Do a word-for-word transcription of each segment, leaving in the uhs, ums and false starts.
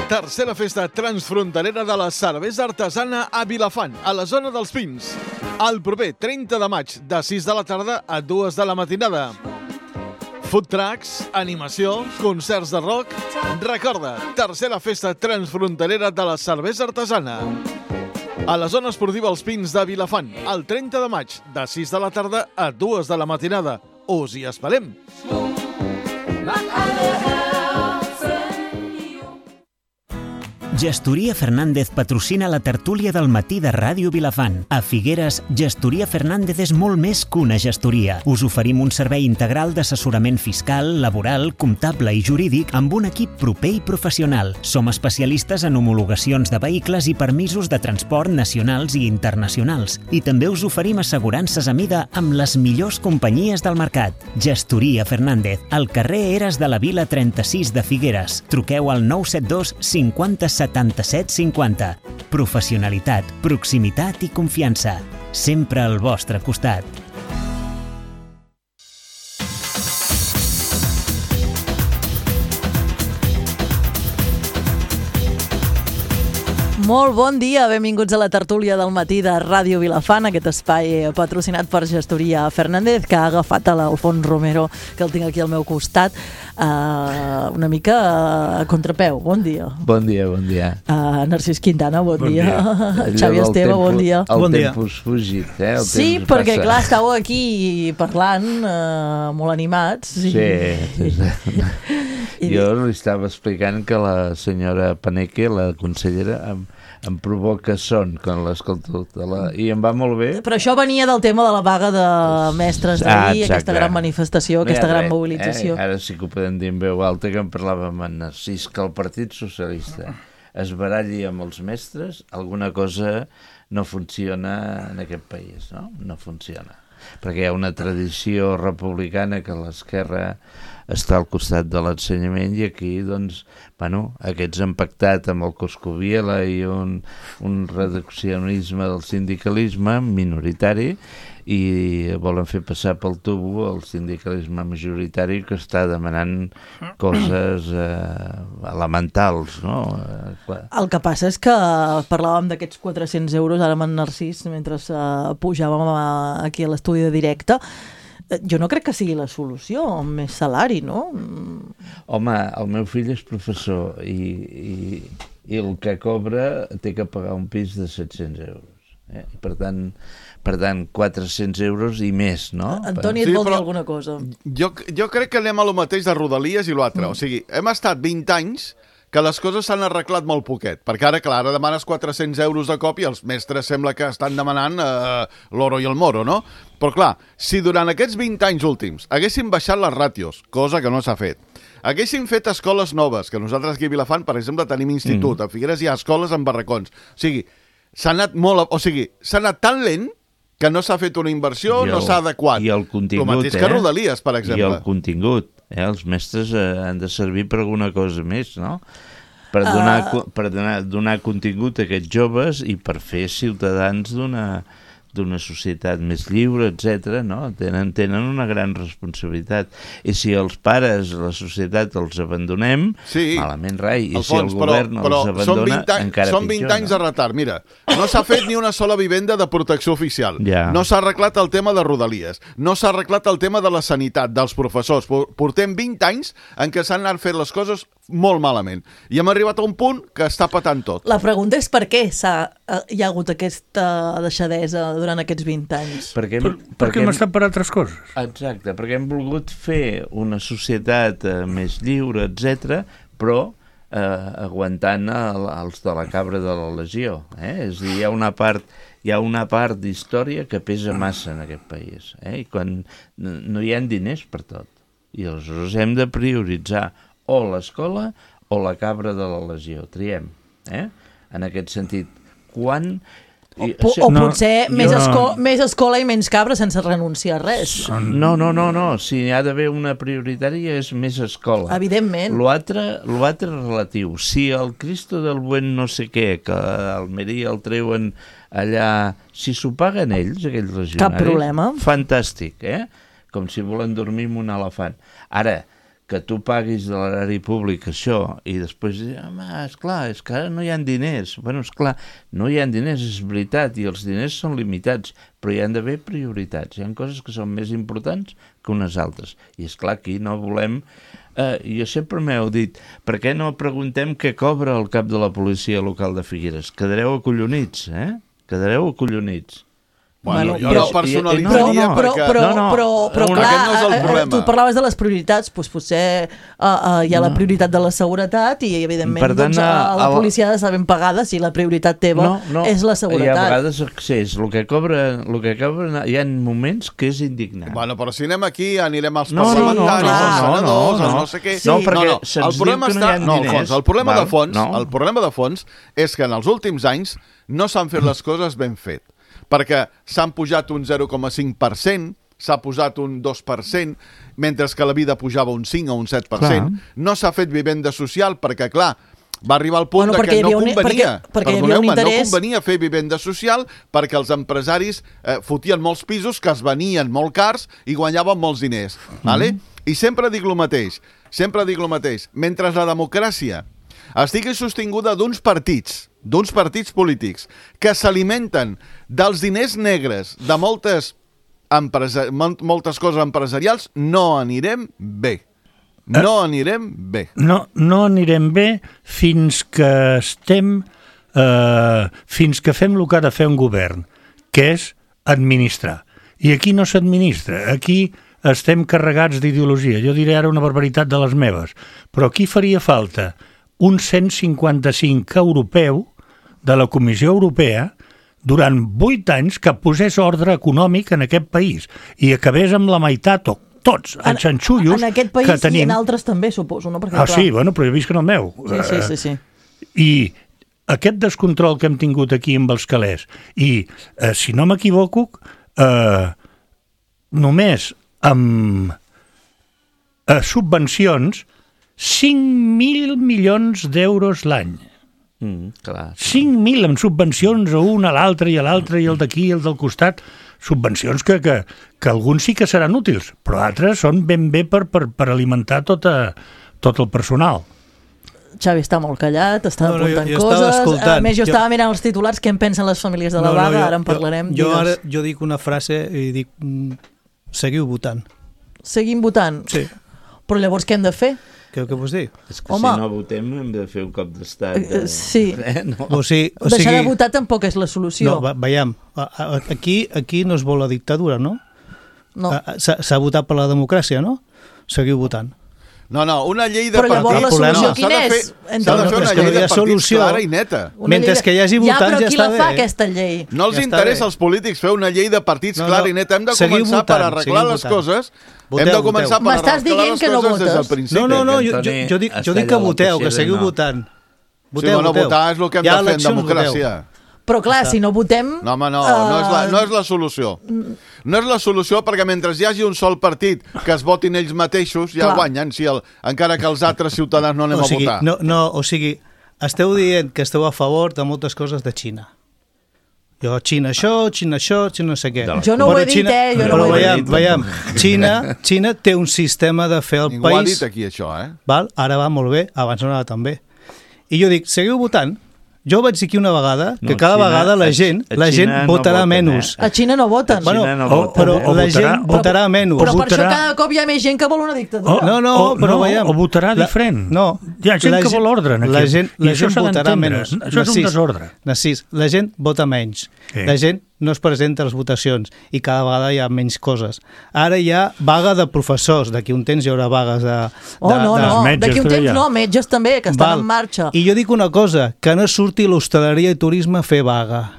Tercera festa transfronterera de la cervesa artesana a Vilafant, a la zona dels Pins. El proper trenta de maig, de sis de la tarda a dues de la matinada. Food trucks, animació, concerts de rock... Recorda, tercera festa transfronterera de la cervesa artesana. A la zona esportiva Els Pins de Vilafant, el trenta de maig, de sis de la tarda a dues de la matinada. Us hi esperem! Gestoria Fernández patrocina la tertúlia del matí de Ràdio Vilafant. A Figueres, Gestoria Fernández és molt més que una gestoria. Us oferim un servei integral d'assessorament fiscal, laboral, comptable i jurídic amb un equip proper i professional. Som especialistes en homologacions de vehicles i permisos de transport nacionals i internacionals. I també us oferim assegurances a mida amb les millors companyies del mercat. Gestoria Fernández, al carrer Eres de la Vila trenta-sis de Figueres. Truqueu al nou set dos cinquanta setanta-set cinquanta. Professionalitat, proximitat i confiança. Sempre al vostre costat. Molt bon dia, benvinguts a la tertúlia del matí de Ràdio Vilafant, aquest espai patrocinat per Gestoria Fernández, que ha agafat a l'Alfons Romero, que el tinc aquí al meu costat, uh, una mica a contrapeu. Bon dia. Bon dia, bon dia. Uh, Narcís Quintana, bon, bon dia. dia. Xavi Allò Esteve, tempo, bon dia. El bon tempus fugit, eh? El sí, temps perquè passa. clar, estàveu aquí parlant, uh, molt animats. Sí. I... I... Jo li estava explicant que la senyora Paneque, la consellera, em, em provoca son quan l'escolto la... i em va molt bé. Però això venia del tema de la vaga de mestres d'ahir, ah, aquesta gran manifestació, no aquesta gran mobilització. Eh? Ara sí que ho podem dir en veu alta, que en parlàvem amb Narcís, que el Partit Socialista es baralli amb els mestres, alguna cosa no funciona en aquest país, no? No funciona. Perquè hi ha una tradició republicana que l'esquerra està al costat de l'ensenyament i aquí, doncs, bueno, aquests han pactat amb el Coscubiela i un, un reduccionisme del sindicalisme minoritari i volen fer passar pel tubo el sindicalisme majoritari que està demanant coses eh, elementals, no? Eh, clar. El que passa és que parlàvem d'aquests quatre-cents euros ara amb en Narcís mentre uh, pujàvem a, aquí a l'estudi de directe. Jo no crec que sigui la solució, més salari, no? Home, el meu fill és professor i, i, i el que cobra té que pagar un pis de set-cents euros. Eh? Per tant, per tant, quatre-cents euros i més, no? Antoni, et sí, vol dir alguna cosa? Jo, jo crec que anem a lo mateix de Rodalies i l'altre. Mm. O sigui, hem estat vint anys que les coses s'han arreglat molt poquet, perquè ara, clar, ara demanes quatre-cents euros de cop i els mestres sembla que estan demanant eh, l'oro i el moro, no? Però, clar, si durant aquests vint anys últims haguessin baixat les ràtios, cosa que no s'ha fet, haguessin fet escoles noves, que nosaltres aquí a Vilafant, per exemple, tenim institut, mm. a Figueres hi ha escoles amb barracons, o sigui, s'ha anat molt, o sigui, s'ha anat tan lent que no s'ha fet una inversió, el, no s'ha adequat. I el contingut, el mateix que Rodalies, per exemple. I el contingut. Eh? Els mestres eh, han de servir per alguna cosa més, no? Per donar, uh... per donar, donar contingut a aquests joves i per fer ciutadans d'una d'una societat més lliure, etcètera, no? Tenen, tenen una gran responsabilitat. I si els pares, la societat, els abandonem, sí, malament rai. I Alfons, si el govern però, els abandona, però són encara són vint pitjor, anys no? de retard. Mira, no s'ha fet ni una sola vivenda de protecció oficial. Ja. No s'ha arreglat el tema de Rodalies. No s'ha arreglat el tema de la sanitat, dels professors. Portem vint anys en què s'han anat fent les coses molt malament. I hem arribat a un punt que està patant tot. La pregunta és per què s'ha, hi ha hagut aquesta deixadesa durant aquests vint anys. Perquè, per, perquè, perquè hem estat per altres coses. Exacte, perquè hem volgut fer una societat eh, més lliure, etcètera, però eh, aguantant el, els de la cabra de la legió. Eh? És a dir, hi ha una part, hi ha una part d'història que pesa massa en aquest país. Eh? I quan no hi ha diners per tot. I aleshores hem de prioritzar o l'escola o la cabra de la legió. Triem. Eh? En aquest sentit, quan... O, o no, potser més, no, esco més escola i menys cabra sense renunciar a res. No, no, no, no. Si hi ha d'haver una prioritària és més escola. Evidentment. L'altre és relatiu. Si el Cristo del Buen no sé què, que a Almeria el treuen allà, si s'ho paguen ells, aquells legionaris... Cap problema. Fantàstic, eh? Com si volen dormir amb un elefant. Ara, que tu paguis de l'erari públic això i després dir, home, esclar, és que ara no hi ha diners. Bueno, esclar, no hi ha diners, és veritat, i els diners són limitats, però hi han d'haver prioritats. Hi ha coses que són més importants que unes altres. I esclar, aquí no volem... Eh, jo sempre m'heu dit, per què no preguntem què cobra el cap de la policia local de Figueres? Quedareu acollonits, eh? Quedareu acollonits. Bueno, Bueno, jo però- no personalitzaria Però, no, però, perquè... però, No, no, però, però un- clar, aquest no és el eh, eh, problema. tu parlaves de les prioritats, doncs potser uh, uh, hi ha la prioritat de la seguretat i, evidentment, Per tant, doncs, uh, la el- policia ha de estar ben pagada si la prioritat teva No, no, és la hi ha seguretat. vegades accés, el que cobra, el que cobra, hi ha moments que és indignant. Bueno, però si anem aquí, anirem als No, no, no, parlamentaris, no, als no, senadors, no, als no. no sé què... Sí. No, perquè no, se'ns el problema diu que no està... hi ha No, al diners. fons, el problema Val, de fons, no. el problema de fons és que en els últims anys no s'han fet les coses ben fet, perquè s'han pujat un zero coma cinc per cent, s'ha posat un dos per cent, mentre que la vida pujava un cinc o un set per cent. Clar. No s'ha fet vivenda social perquè, clar, va arribar al punt Bueno, de perquè que hi no havia un- convenia. perquè- perquè hi havia un Perdoneu-me, no interès- convenia fer vivenda social perquè els empresaris eh, fotien molts pisos que es venien molt cars i guanyaven molts diners. Vale? I sempre dic el mateix, sempre dic el mateix. Mentre la democràcia estigui sostinguda d'uns partits, d'uns partits polítics que s'alimenten dels diners negres de moltes, empresa mol- moltes coses empresarials, no anirem bé. No anirem bé. No, no anirem bé fins que estem... Eh, fins que fem el que ha de fer un govern, que és administrar. I aquí no s'administra, aquí estem carregats d'ideologia. Jo diré ara una barbaritat de les meves, però aquí faria falta un cent cinquanta-cinc europeu de la Comissió Europea durant vuit anys que posés ordre econòmic en aquest país i acabés amb la meitat o tots els xanxullos en aquest país Ah, que tenim. i en altres també, suposo, no? Perquè, Ah, clar, sí, bueno, però jo visc en el meu. sí, sí, sí, sí. I aquest descontrol que hem tingut aquí amb els calés, i eh, si no m'equivoco, eh, només amb eh, subvencions, cinc mil milions d'euros l'any. Mm, clar. cinc mil amb subvencions a un, a l'altre, i a l'altre, i el d'aquí, i el del costat. Subvencions que, que, que alguns sí que seran útils, però altres són ben bé per, per, per alimentar tota, tot el personal. Xavi està molt callat, està No, no, jo- apuntant jo estava coses. escoltant. A més, jo, Jo- estava mirant els titulars, què en pensen les famílies de la No, no, vaga, jo- ara en parlarem. Jo, jo, digues. ara, jo dic una frase i dic, mm, seguiu votant. Seguim votant? Sí. Però llavors què hem de fer? Què, què vols dir? És que Home. si no votem hem de fer un cop d'estat. Eh, De... sí. Eh, no? O sigui, o Deixar sigui, de votar tampoc és la solució. no, ve- veiem, a- a- aquí, aquí no es vol la dictadura, no? No. A- a- S'ha s'ha votat per la democràcia, no? Seguiu votant. No, no, una llei de Però llavors partits... la solució no, s'ha quina de fer- és? S'ha de Entre- fer No, una és que llei no hi de ha partits solució. clara i neta. Una Mentre llei de- que hi hagi ja, votants, però ja qui està la fa, bé. aquesta llei? No els Ja està interessa bé. als polítics fer una llei de partits No, clara no. i neta. Hem de Seguiu començar per votant, arreglar seguiu les votant. coses. Voteu, Hem de voteu. començar per M'estàs arreglar dient les que no coses des del votes? principi. No, no, no, jo, jo, Antoni jo, dic, jo està dic que allà a la voteu, que peixera, seguiu no. votant. Sí, Voteu, bueno, voteu. votar és el que hem Hi ha de fer en eleccions, voteu. democràcia. Però clar, si no votem... No, home, no, no és, la, no és eh, la solució. No és la solució perquè mentre hi hagi un sol partit que es votin ells mateixos, ja Clar. guanyen, si el, encara que els altres ciutadans no anem O sigui, a votar. no, no, o sigui, esteu dient que esteu a favor de moltes coses de Xina. Jo, Xina això, Xina això, Xina no sé què. De la Jo no ho Però he dit, eh? Jo no però ho he veiem, dit. veiem, Xina, Xina té un sistema de fer el Ningú ha país... dit aquí això, eh? Val? Ara va molt bé, abans no anava tan bé. I jo dic, seguiu votant. Jo vaig dir aquí una vegada que No, cada Xina- vegada la a- gent, a la gent Xina no votarà voten, menys. eh? A Xina no voten. Bueno, Bueno, no o, voten, però eh? la O votarà- gent o- votarà menys. Però o per això votarà- cada cop hi ha més gent que vol una dictadura. No, no, O- però no, veiem. o votarà La- diferent. No. Hi ha gent La que vol ordre aquí. La gent, I la això gent s'ha votarà d'entendre. menys. Això és un desordre. Narcís, la gent vota menys. Sí. La gent no es presenta a les votacions i cada vegada hi ha menys coses. Ara hi ha vaga de professors. D'aquí un temps hi haurà vagues de... de Oh, no, de... no, metges d'aquí un també temps hi ha. no, metges també, que estan Val. en marxa. I jo dic una cosa, que no surti l'hostaleria i turisme a fer vaga.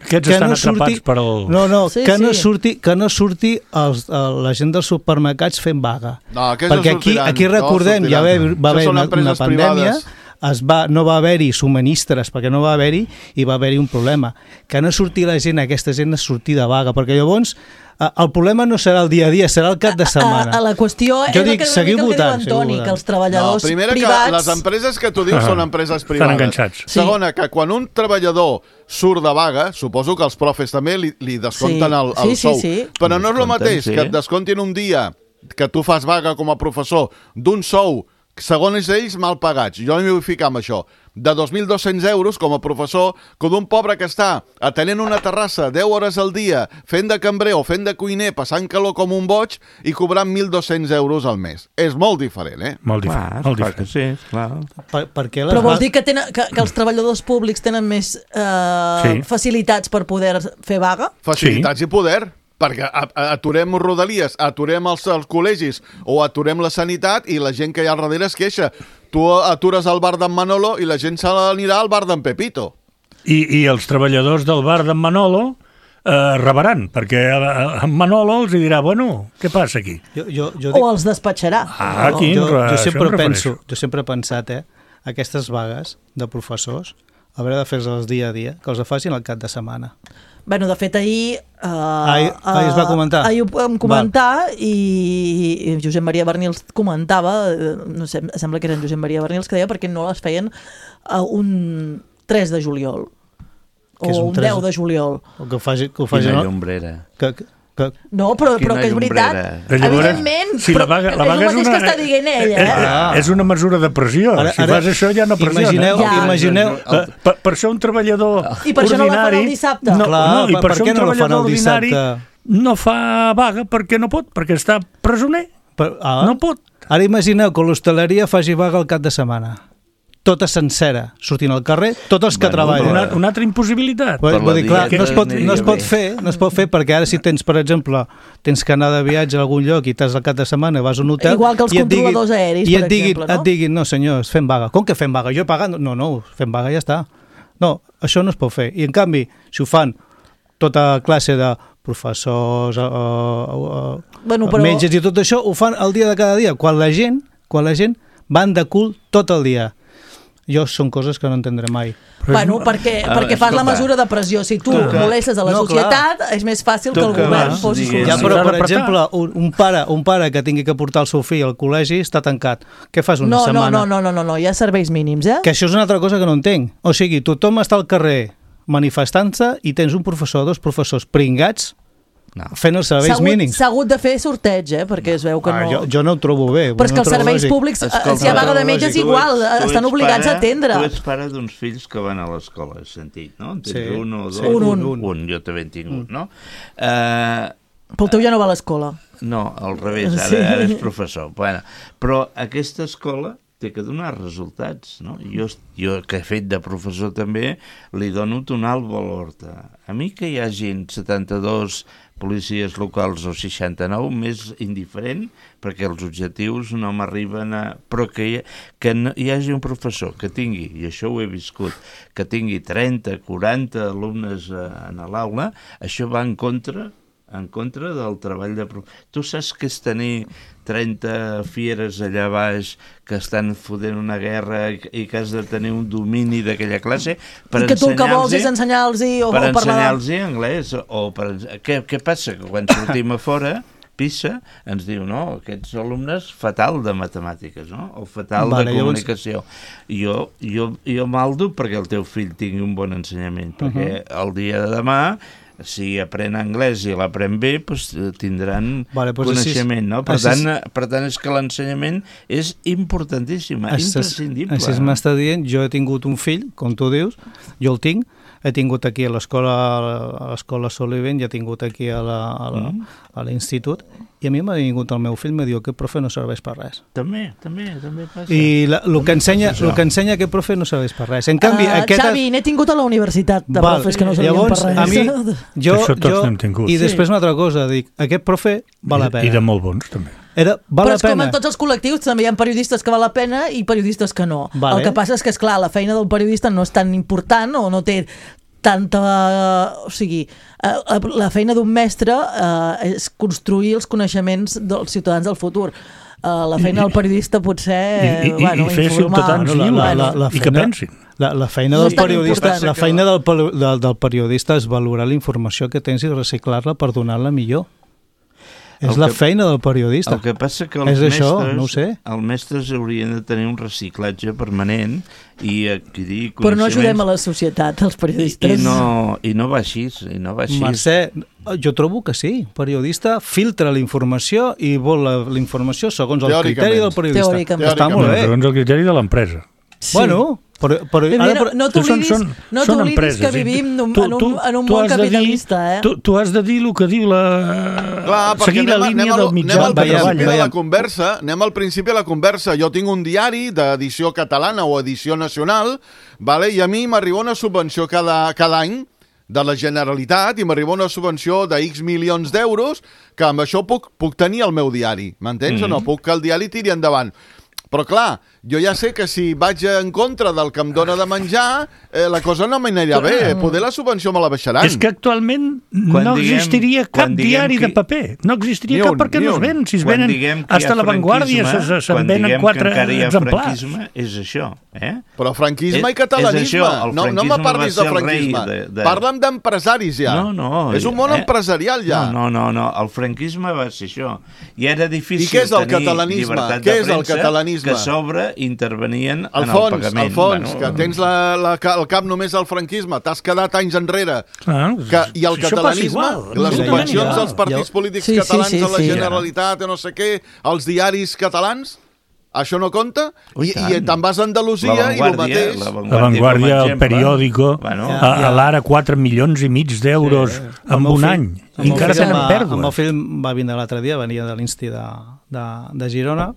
Aquests Que estan no atrapats surti- per el... No, no, Sí, que, no sí. surti, que no surti els, el, la gent dels supermercats fent vaga. No, aquests no Perquè aquí, sortiran, aquí no recordem, ja va, sortiran. va Això haver són una, empreses una pandèmia, privades. es va, no va haver-hi subministres perquè no va haver-hi i va haver-hi un problema. Que no surti la gent, aquesta gent a sortir de vaga, perquè llavors eh, el problema no serà el dia a dia, serà el cap de setmana. A, a la qüestió Jo és dic, el que, seguiu el que votant, diu seguiu Antoni, votant. que els treballadors No, primera, privats... que les empreses que tu dius Ah, són empreses estan privades. enganxats. Sí. Segona, que quan un treballador surt de vaga, suposo que els profes també li, li descompten Sí. el, el Sí, sí, sou. sí. Però no és el Descompten, mateix sí. que et descomptin un dia que tu fas vaga com a professor d'un sou, segons ells, mal pagats, jo m'hi vull ficar amb això, de dos mil dos-cents euros com a professor, que d'un pobre que està atenent una terrassa deu hores al dia, fent de cambrer o fent de cuiner, passant calor com un boig i cobrant mil dos-cents euros al mes. És molt diferent, eh? Molt diferent. Clar, molt clar diferent. que sí, clar. Per, per què les Però vols va- dir que, tenen, que, que els treballadors públics tenen més eh, Sí. facilitats per poder fer vaga? Facilitats i poder, perquè a- a- aturem rodalies, aturem els, els col·legis o aturem la sanitat i la gent que hi ha al darrere es queixa. Tu atures al bar d'en Manolo i la gent se n'anirà al bar d'en Pepito. I, I els treballadors del bar d'en Manolo eh, rebaran, perquè en Manolo els dirà, bueno, què passa aquí? Jo, jo, jo, O els despatxarà? Ah, aquí jo, em re- jo això sempre em refereixo. penso, jo sempre he pensat, eh, aquestes vagues de professors, hauré de fer-les dia a dia, que els facin al cap de setmana. Bueno, de fet, ahir... Uh, Ahir- ahir es va comentar? Ahir ho vam comentar i, i Josep Maria Bernils comentava, eh, no sé, sembla que era en Josep Maria Bernils que deia perquè no les feien a un tres de juliol Què és o un un tres? deu de juliol. O que ho faci, que ho faci, Quina no? llombrera. Que, que, que, No, però, Quina però que és veritat. llombrera. Llavors, Evidentment, sí, la però vaga- la és vaga el és mateix una- que està dient ella. Eh, Eh? Ah. És una mesura de pressió. Ara- si ara- fas això ja no pressiona. imagineu, Ja. imagineu, Per, per, per això un treballador I per això no la fan ordinari... el dissabte. No, Clar, no, i per- per, per això què un no la fan treballador el ordinari dissabte? no fa vaga perquè no pot, perquè està presoner. per, ah, No pot. Ara imagineu que l'hostaleria faci vaga al cap de setmana. Tota sencera, sortint al carrer, tots els que Bueno, treballen. Una, una altra impossibilitat. Vull, Per vull la dir, clar, dieta no es, pot, aniria no, es pot bé. fer, no es pot fer perquè ara si tens, per exemple, tens que anar de viatge a algun lloc i t'has al cap de setmana, vas a un hotel... Igual que els i et diguin- controladors aeris, i per et diguin, exemple, no? et diguin, no senyors, fem vaga. Com que fem vaga? Jo he pagat? No, no, fem vaga i ja està. No, això no es pot fer. I en canvi, si ho fan tota classe de professors, uh, uh, Bueno, uh, però- metges i tot això, ho fan el dia de cada dia, quan la gent, quan la gent van de cul tot el dia. Jo són coses que no entendré mai. Bueno, perquè, Ah, perquè fas la escolta. mesura de pressió. Si tu Tu que- molestes a la no, societat, és més fàcil que Tu el que govern vas, posi diguem, Ja, solució. però, s'ha per d'apretar. exemple, un, un, pare, un pare que tingui que portar el seu fill al col·legi està tancat. Què fas una No, no, setmana? no, no, no, no, no, hi ha serveis mínims, eh? Que això és una altra cosa que no entenc. O sigui, tothom està al carrer manifestant-se i tens un professor, dos professors pringats No. fent els S'ha serveis hagut, mínims. s'ha hagut de fer sorteig, eh? Perquè es veu que Ah, no... jo, jo no ho trobo bé. Però és no que ho els trobo serveis lògic. públics, eh, Escolta, si hi ha vaga de metges, tu ets- igual, tu ets estan obligats pare- a atendre. Tu ets pare d'uns fills que van a l'escola, has sentit, no? En tens Sí. un o dos? Sí, un, un. Un, jo també en tinc un, no? Uh, Però el teu ja no va a l'escola. no, al revés, ara, Sí. ara és professor. Bueno, però aquesta escola té que donar resultats, no? Jo, jo, que he fet de professor també, li dono un alt valor. A mi que hi hagin setanta-dos policies locals o seixanta-nou, més indiferent, perquè els objectius no m'arriben a... Però que hi, que no, hi hagi un professor que tingui, i això ho he viscut, que tingui trenta, quaranta alumnes a, a l'aula, això va en contra en contra del treball de... prof- Tu saps què és tenir trenta fieres allà baix que estan fotent una guerra i, i que has de tenir un domini d'aquella classe per I que tu el que vols ensenyar-los és ensenyar-los o, per o parlar... ensenyar-los anglès o per, què, què passa? Que quan sortim a fora PISA ens diu, no, aquests alumnes fatal de matemàtiques, no? O fatal Vale, de llavors- comunicació. Jo, jo, jo maldo perquè el teu fill tingui un bon ensenyament, perquè el dia de demà, si aprèn anglès i l'aprèn bé, doncs tindran Vale, doncs coneixement, així- no? Per així- tant, per tant, és que l'ensenyament és importantíssim, Així- imprescindible. Així m'està dient, jo he tingut un fill, com tu dius, jo el tinc, he tingut aquí a l'escola a l'escola Soliven i he tingut aquí a la- a la- Mm. a l'institut, i a mi m'ha vingut el meu fill i m'ha dit que aquest profe no serveix per res. També, també, també passa. I la, el, que ensenya, el que ensenya aquest profe no serveix per res. En canvi, Uh, aquest... Xavi, n'he tingut a la universitat de Val, profes que no servien llavors, per res. a mi, jo, Això tots jo, n'hem tingut. I Sí. després una altra cosa, dic, aquest profe val la I, pena. I de molt bons, també. Era, val Però la és com pena. en tots els col·lectius, també hi ha periodistes que val la pena i periodistes que no. Vale. El que passa és que, esclar, la feina del periodista no és tan important o no té tanta... O sigui, eh, la feina d'un mestre eh, és construir els coneixements dels ciutadans del futur. Uh, la feina del periodista potser I, i, bueno, i fer informar. ciutadans Bueno, la- lliures la- la- la i que feina- pensin. La, la feina No del és tan periodista, important. la feina del, pel- del, del periodista és valorar la informació que tens i reciclar-la per donar-la millor. És la feina del periodista. El que passa que els és mestres, això, no ho sé. els mestres haurien de tenir un reciclatge permanent i adquirir coneixements. Però no ajudem a la societat, els periodistes. I no, i no va així, i no va així. Mercè, jo trobo que sí. Periodista filtra la informació i vol la, la informació segons el criteri del periodista. Teòricament. Està molt bé. Segons el criteri de l'empresa. Sí. Bueno, però, però, Mira, ara, no no t'oblidis són- no són t'oblidis empreses, que i vivim en un, tu- en un, tu- en un tu món has de dir- capitalista, eh? Tu, tu has de dir el que diu la... Clar, perquè seguir la anem, a- línia anem, al, del mitjà anem al de veiem, principi treball. de la veiem. conversa, anem al principi de la conversa. Jo tinc un diari d'edició catalana o edició nacional, vale? I a mi m'arriba una subvenció cada, cada any de la Generalitat i m'arriba una subvenció de X milions d'euros que amb això puc, puc tenir el meu diari, m'entens mm. o no? Puc que el diari tiri endavant. Però clar, jo ja sé que si vaig en contra del que em dona de menjar, eh, la cosa no m'anirà bé. Poder la subvenció me la baixaran. És que actualment Quan no diguem- existiria cap quan diguem diari que- de paper. No existiria Ni cap un, perquè ni no es un. ven. Si es Quan venen diguem que hi ha hasta la Vanguardia franquisme, se- se'n quan venen diguem quatre que encara hi ha exemplars. franquisme, és això, eh? Però franquisme És- i catalanisme. és això, el no, no me franquisme parlis va de ser el rei franquisme. de- de- Parla'm d'empresaris ja. No, no. És un món eh? empresarial ja. No, no, no, no, el franquisme va ser això. I era difícil I què és el tenir catalanisme? llibertat Què de és el premsa, catalanisme? que a sobre intervenien en el Alfons, pagament. Alfons, Bueno, que tens la, la, el cap només al franquisme, t'has quedat anys enrere. Clar, Que, I el això passa catalanisme, igual, les absolutament subvencions igual. dels partits polítics Sí, sí, catalans sí, a la sí. Generalitat, o no sé què, els diaris catalans, això no compta? Ui, I, tant. i te'n vas a Andalusia La i el Vanguardia, mateix. la La Vanguardia, Vanguardia, com a el exemple. periòdico, Bueno, a, a l'ara quatre milions i mig d'euros Sí. en El meu un fill- any. el I meu encara fill tenen va- El meu pèrdues. fill va vindre l'altre dia, venia de l'Insti de, de, de Girona,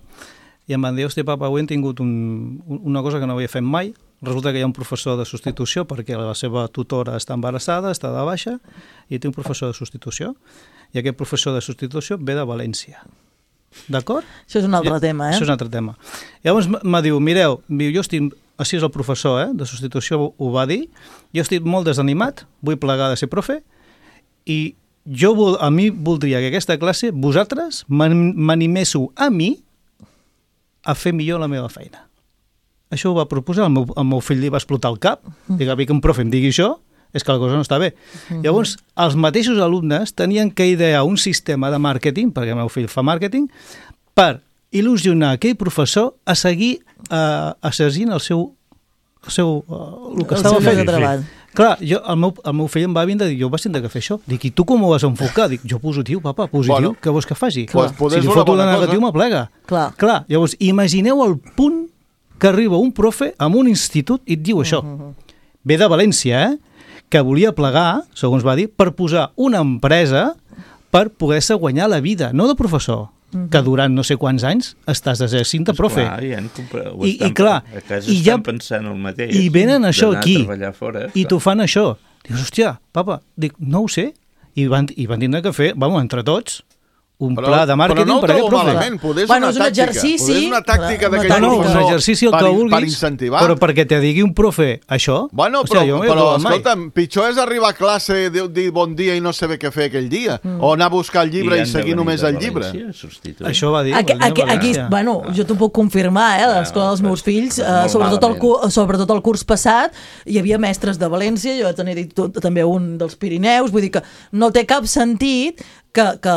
i em van dir, hòstia, papa, avui hem tingut un, una cosa que no havia fet mai. Resulta que hi ha un professor de substitució perquè la seva tutora està embarassada, està de baixa, i té un professor de substitució. I aquest professor de substitució ve de València. D'acord? Això és un altre I, tema, eh? Això és un altre tema. Llavors me diu, mireu, diu, jo estic, així és el professor eh, de substitució, ho va dir, jo estic molt desanimat, vull plegar de ser profe, i jo vol, a mi voldria que aquesta classe, vosaltres, m'an- m'animéssiu a mi a fer millor la meva feina. Això ho va proposar, el meu, el meu fill li va explotar el cap, dic, a mi que un profe em digui això, és que la cosa no està bé. Llavors, els mateixos alumnes tenien que idear un sistema de màrqueting, perquè el meu fill fa màrqueting, per il·lusionar aquell professor a seguir uh, assagint el seu, el seu uh, el que El estava seu lloc fent. de treball. Clar, jo, el, meu, el meu fill em va vindre i dir, jo vaig tindre que fer això. Dic, i tu com ho vas enfocar? Dic, jo positiu, papa, positiu, Bueno, què vols que faci? pues poder si és li una foto bona la negatiu, cosa. m'aplega. Clar. Clar, llavors, imagineu el punt que arriba un profe a un institut i et diu això. Ve de València, eh? Que volia plegar, segons va dir, per posar una empresa per poder-se guanyar la vida, no de professor, que durant no sé quants anys estàs exercint de profe. Clar, ja en compra, ho I, estan, i clar, a casa i estan ja, pensant el mateix. i venen això d'anar a aquí, treballar fora, i clar. t'ho fan això. Dius, hòstia, papa, dic, no ho sé. I van, i van tindre que fer, vamos, entre tots, un Però, pla de màrqueting però no ho per aquest trobo profe. malament, poder és Bueno, una és un tàctica. exercici, Poder és una tàctica una d'aquell No, no, un professor exercici el per, que vulguis, per incentivar. però perquè te digui un profe això... Bueno, hòstia, però, jo no ho he però trobat mai. escolta'm, pitjor és arribar a classe, dir, dir bon dia i no saber què fer aquell dia, mm. o anar a buscar el llibre i, han de seguir venir només de el llibre. València, substituir. Això va dir... Aquí, va dir aquí, a aquí, València. bueno, jo t'ho puc confirmar, eh, a l'escola dels meus fills, eh, sobretot, el, cu- sobretot el curs passat, hi havia mestres de València, jo tenia dit tot, també un dels Pirineus, vull dir que no té cap sentit que, que,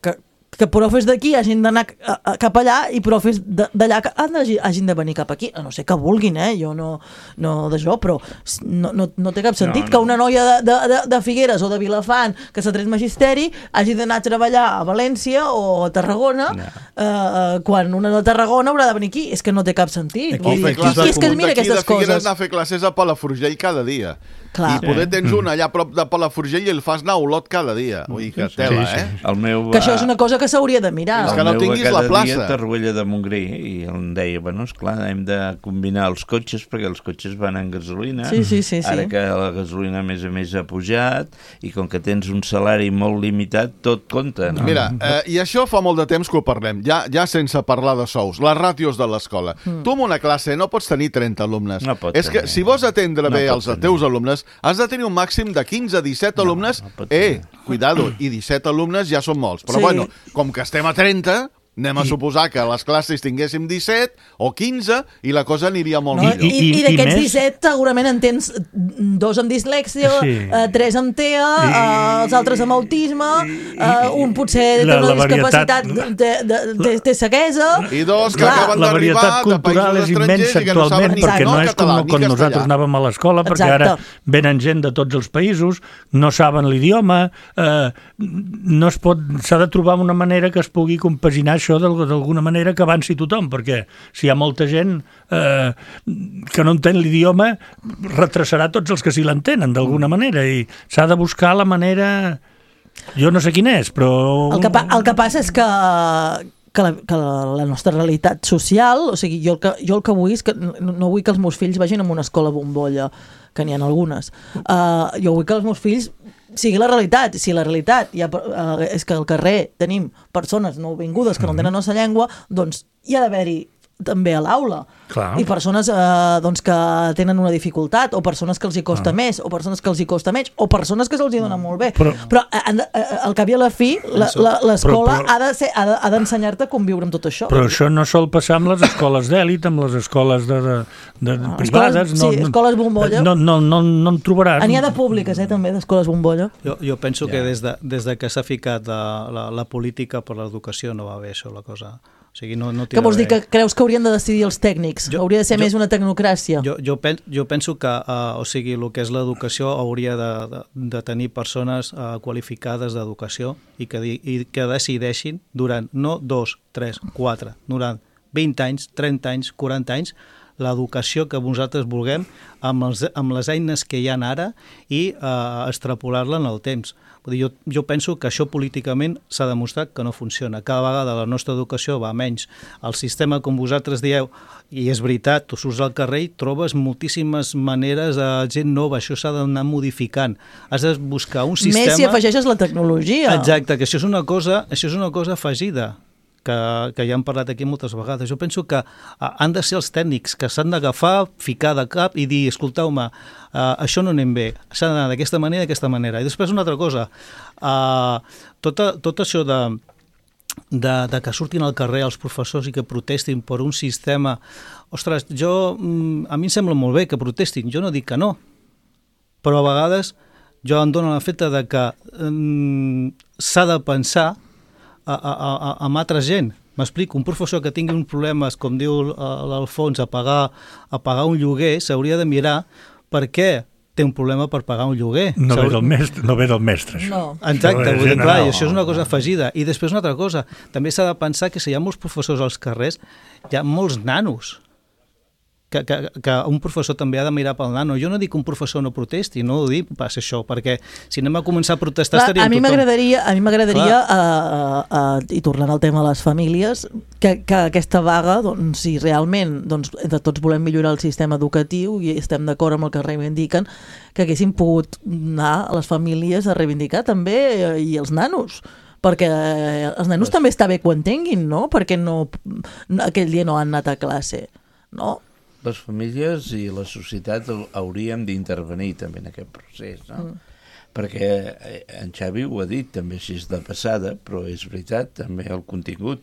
que, que profes d'aquí hagin d'anar a- a- cap allà i profes de- d'allà que han d'hagi- hagin de venir cap aquí, a no ser que vulguin, eh? Jo no, no d'això, però no, no, no té cap sentit No, no. que una noia de, de, de, de Figueres o de Vilafant que s'ha tret magisteri hagi d'anar a treballar a València o a Tarragona No. eh, quan una de Tarragona haurà de venir aquí. És que no té cap sentit. Aquí Vull O dir, fer aquí i, i és que es un mira d'aquí de aquestes Figueres coses. anar a fer classes a Palafrugell cada dia. Clar. I poder tens un allà a prop de Palafrugell i el fas anar a Olot cada dia. Vull dir que tela, sí, sí. eh? El meu, Que això és una cosa que s'hauria de mirar. És que el no meu tinguis va la cada plaça. dia a Torroella de Montgrí i em deia, bueno, esclar, hem de combinar els cotxes perquè els cotxes van en gasolina. Sí, sí, sí, sí. Ara que la gasolina a més a més ha pujat i com que tens un salari molt limitat, tot compta. No? Mira, eh, i això fa molt de temps que ho parlem, ja, ja sense parlar de sous, les ràtios de l'escola. Mm. Tu en una classe no pots tenir trenta alumnes. No pot És que tenir. si vols atendre No bé pot els tenir. teus alumnes, has de tenir un màxim de quinze a disset alumnes. no pot eh, tenir. cuidado, i disset alumnes ja són molts. Però Sí. bueno, com que estem a trenta, Anem a I... suposar que a les classes tinguéssim disset o quinze i la cosa aniria molt No, millor. I, i, i d'aquests més... disset segurament en tens dos amb dislèxia, Sí. eh, tres amb T E A, I- eh, els altres amb autisme, i- eh, un potser té la- una la varietat- discapacitat, té, té, té, té ceguesa... I dos que Clar. acaben La d'arribar varietat de cultural països és estrangers immensa i que no saben actualment, ni perquè no no és català com ni quan castellà. nosaltres anàvem a l'escola, perquè Exacte. ara venen gent de tots els països, no saben l'idioma, eh, no es pot, s'ha de trobar una manera que es pugui compaginar això d'al- d'alguna manera que avanci tothom, perquè si hi ha molta gent eh, que no entén l'idioma, retrasarà tots els que sí l'entenen d'alguna manera, i s'ha de buscar la manera... Jo no sé quin és, però... El que, pa, el que passa és que, que, la, que la, la nostra realitat social, o sigui, jo el que, jo el que vull és que no, no vull que els meus fills vagin a una escola bombolla, que n'hi ha algunes. Uh, jo vull que els meus fills sigui la realitat. Si la realitat hi ha, uh, és que al carrer tenim persones nouvingudes que no tenen la nostra llengua, doncs hi ha d'haver-hi també a l'aula. Clar. I persones eh, doncs que tenen una dificultat, o persones que els hi costa més, o persones que els hi costa menys, o persones que se'ls hi dona molt bé. Però- Però eh, han de- eh, al cap i a la fi, la- la- l'escola Però- però- ha de ser- ha de- ha d'ensenyar-te a conviure amb tot això. Però això no sol passar amb les escoles d'èlit, amb les escoles de, de, de Ah, privades. escoles- no, sí, no, escoles bombolla. No, no, no, no en trobaràs. N'hi ha de públiques, eh, també, d'escoles bombolla. Jo, jo penso yeah. que des de, des de que s'ha ficat la, la, la política per l'educació no va bé això, la cosa. O sigui, no, no Què vols dir, bé. que creus que haurien de decidir els tècnics? Jo- Hauria de ser jo- més una tecnocràcia? Jo, jo, pen, jo penso que uh, o sigui, el que és l'educació hauria de, de, de tenir persones uh, qualificades d'educació i, que, di- i que decideixin durant no dos, tres, quatre, durant vint anys, trenta anys, quaranta anys, l'educació que vosaltres vulguem amb, els, amb les eines que hi ha ara i uh, extrapolar-la en el temps. Vull dir, jo, jo penso que això políticament s'ha demostrat que no funciona. Cada vegada la nostra educació va menys. El sistema, com vosaltres dieu, i és veritat, tu surts al carrer i trobes moltíssimes maneres de gent nova, això s'ha d'anar modificant. Has de buscar un sistema... Més si afegeixes la tecnologia. Exacte, que això és una cosa, això és una cosa afegida. Que, que ja hem parlat aquí moltes vegades. Jo penso que uh, han de ser els tècnics que s'han d'agafar, ficar de cap i dir, escolteu-me, uh, això no anem bé, s'ha d'anar d'aquesta manera, d'aquesta manera. I després una altra cosa, uh, tota, tot això de, de, de que surtin al carrer els professors i que protestin per un sistema... Ostres, jo, a mi em sembla molt bé que protestin, jo no dic que no, però a vegades jo em dono la feta de que um, s'ha de pensar A, a, a, amb altra gent. M'explico, un professor que tingui uns problemes, com diu l'Alfons, a pagar, a pagar un lloguer, s'hauria de mirar per què té un problema per pagar un lloguer. No ve del mestre, no ve del mestre, això. No. Exacte, Això és vull dir, clar, general. i això és una cosa afegida. I després una altra cosa, també s'ha de pensar que si hi ha molts professors als carrers, hi ha molts nanos. Que, que, que un professor també ha de mirar pel nano. Jo no dic que un professor no protesti, no ho dic pas això, perquè si anem a començar a protestar Clar, estaríem a mi tothom... m'agradaria, a mi m'agradaria uh, uh, i tornant al tema de les famílies, que, que aquesta vaga, doncs, si realment doncs, entre tots volem millorar el sistema educatiu i estem d'acord amb el que reivindiquen, que haguessin pogut anar a les famílies a reivindicar també eh, i els nanos, perquè eh, els nanos també està bé que ho entenguin, no? Perquè no, aquell dia no han anat a classe, no? Les famílies i la societat hauríem d'intervenir també en aquest procés, no? Mm. Perquè en Xavi ho ha dit també així de passada, però és veritat també el contingut.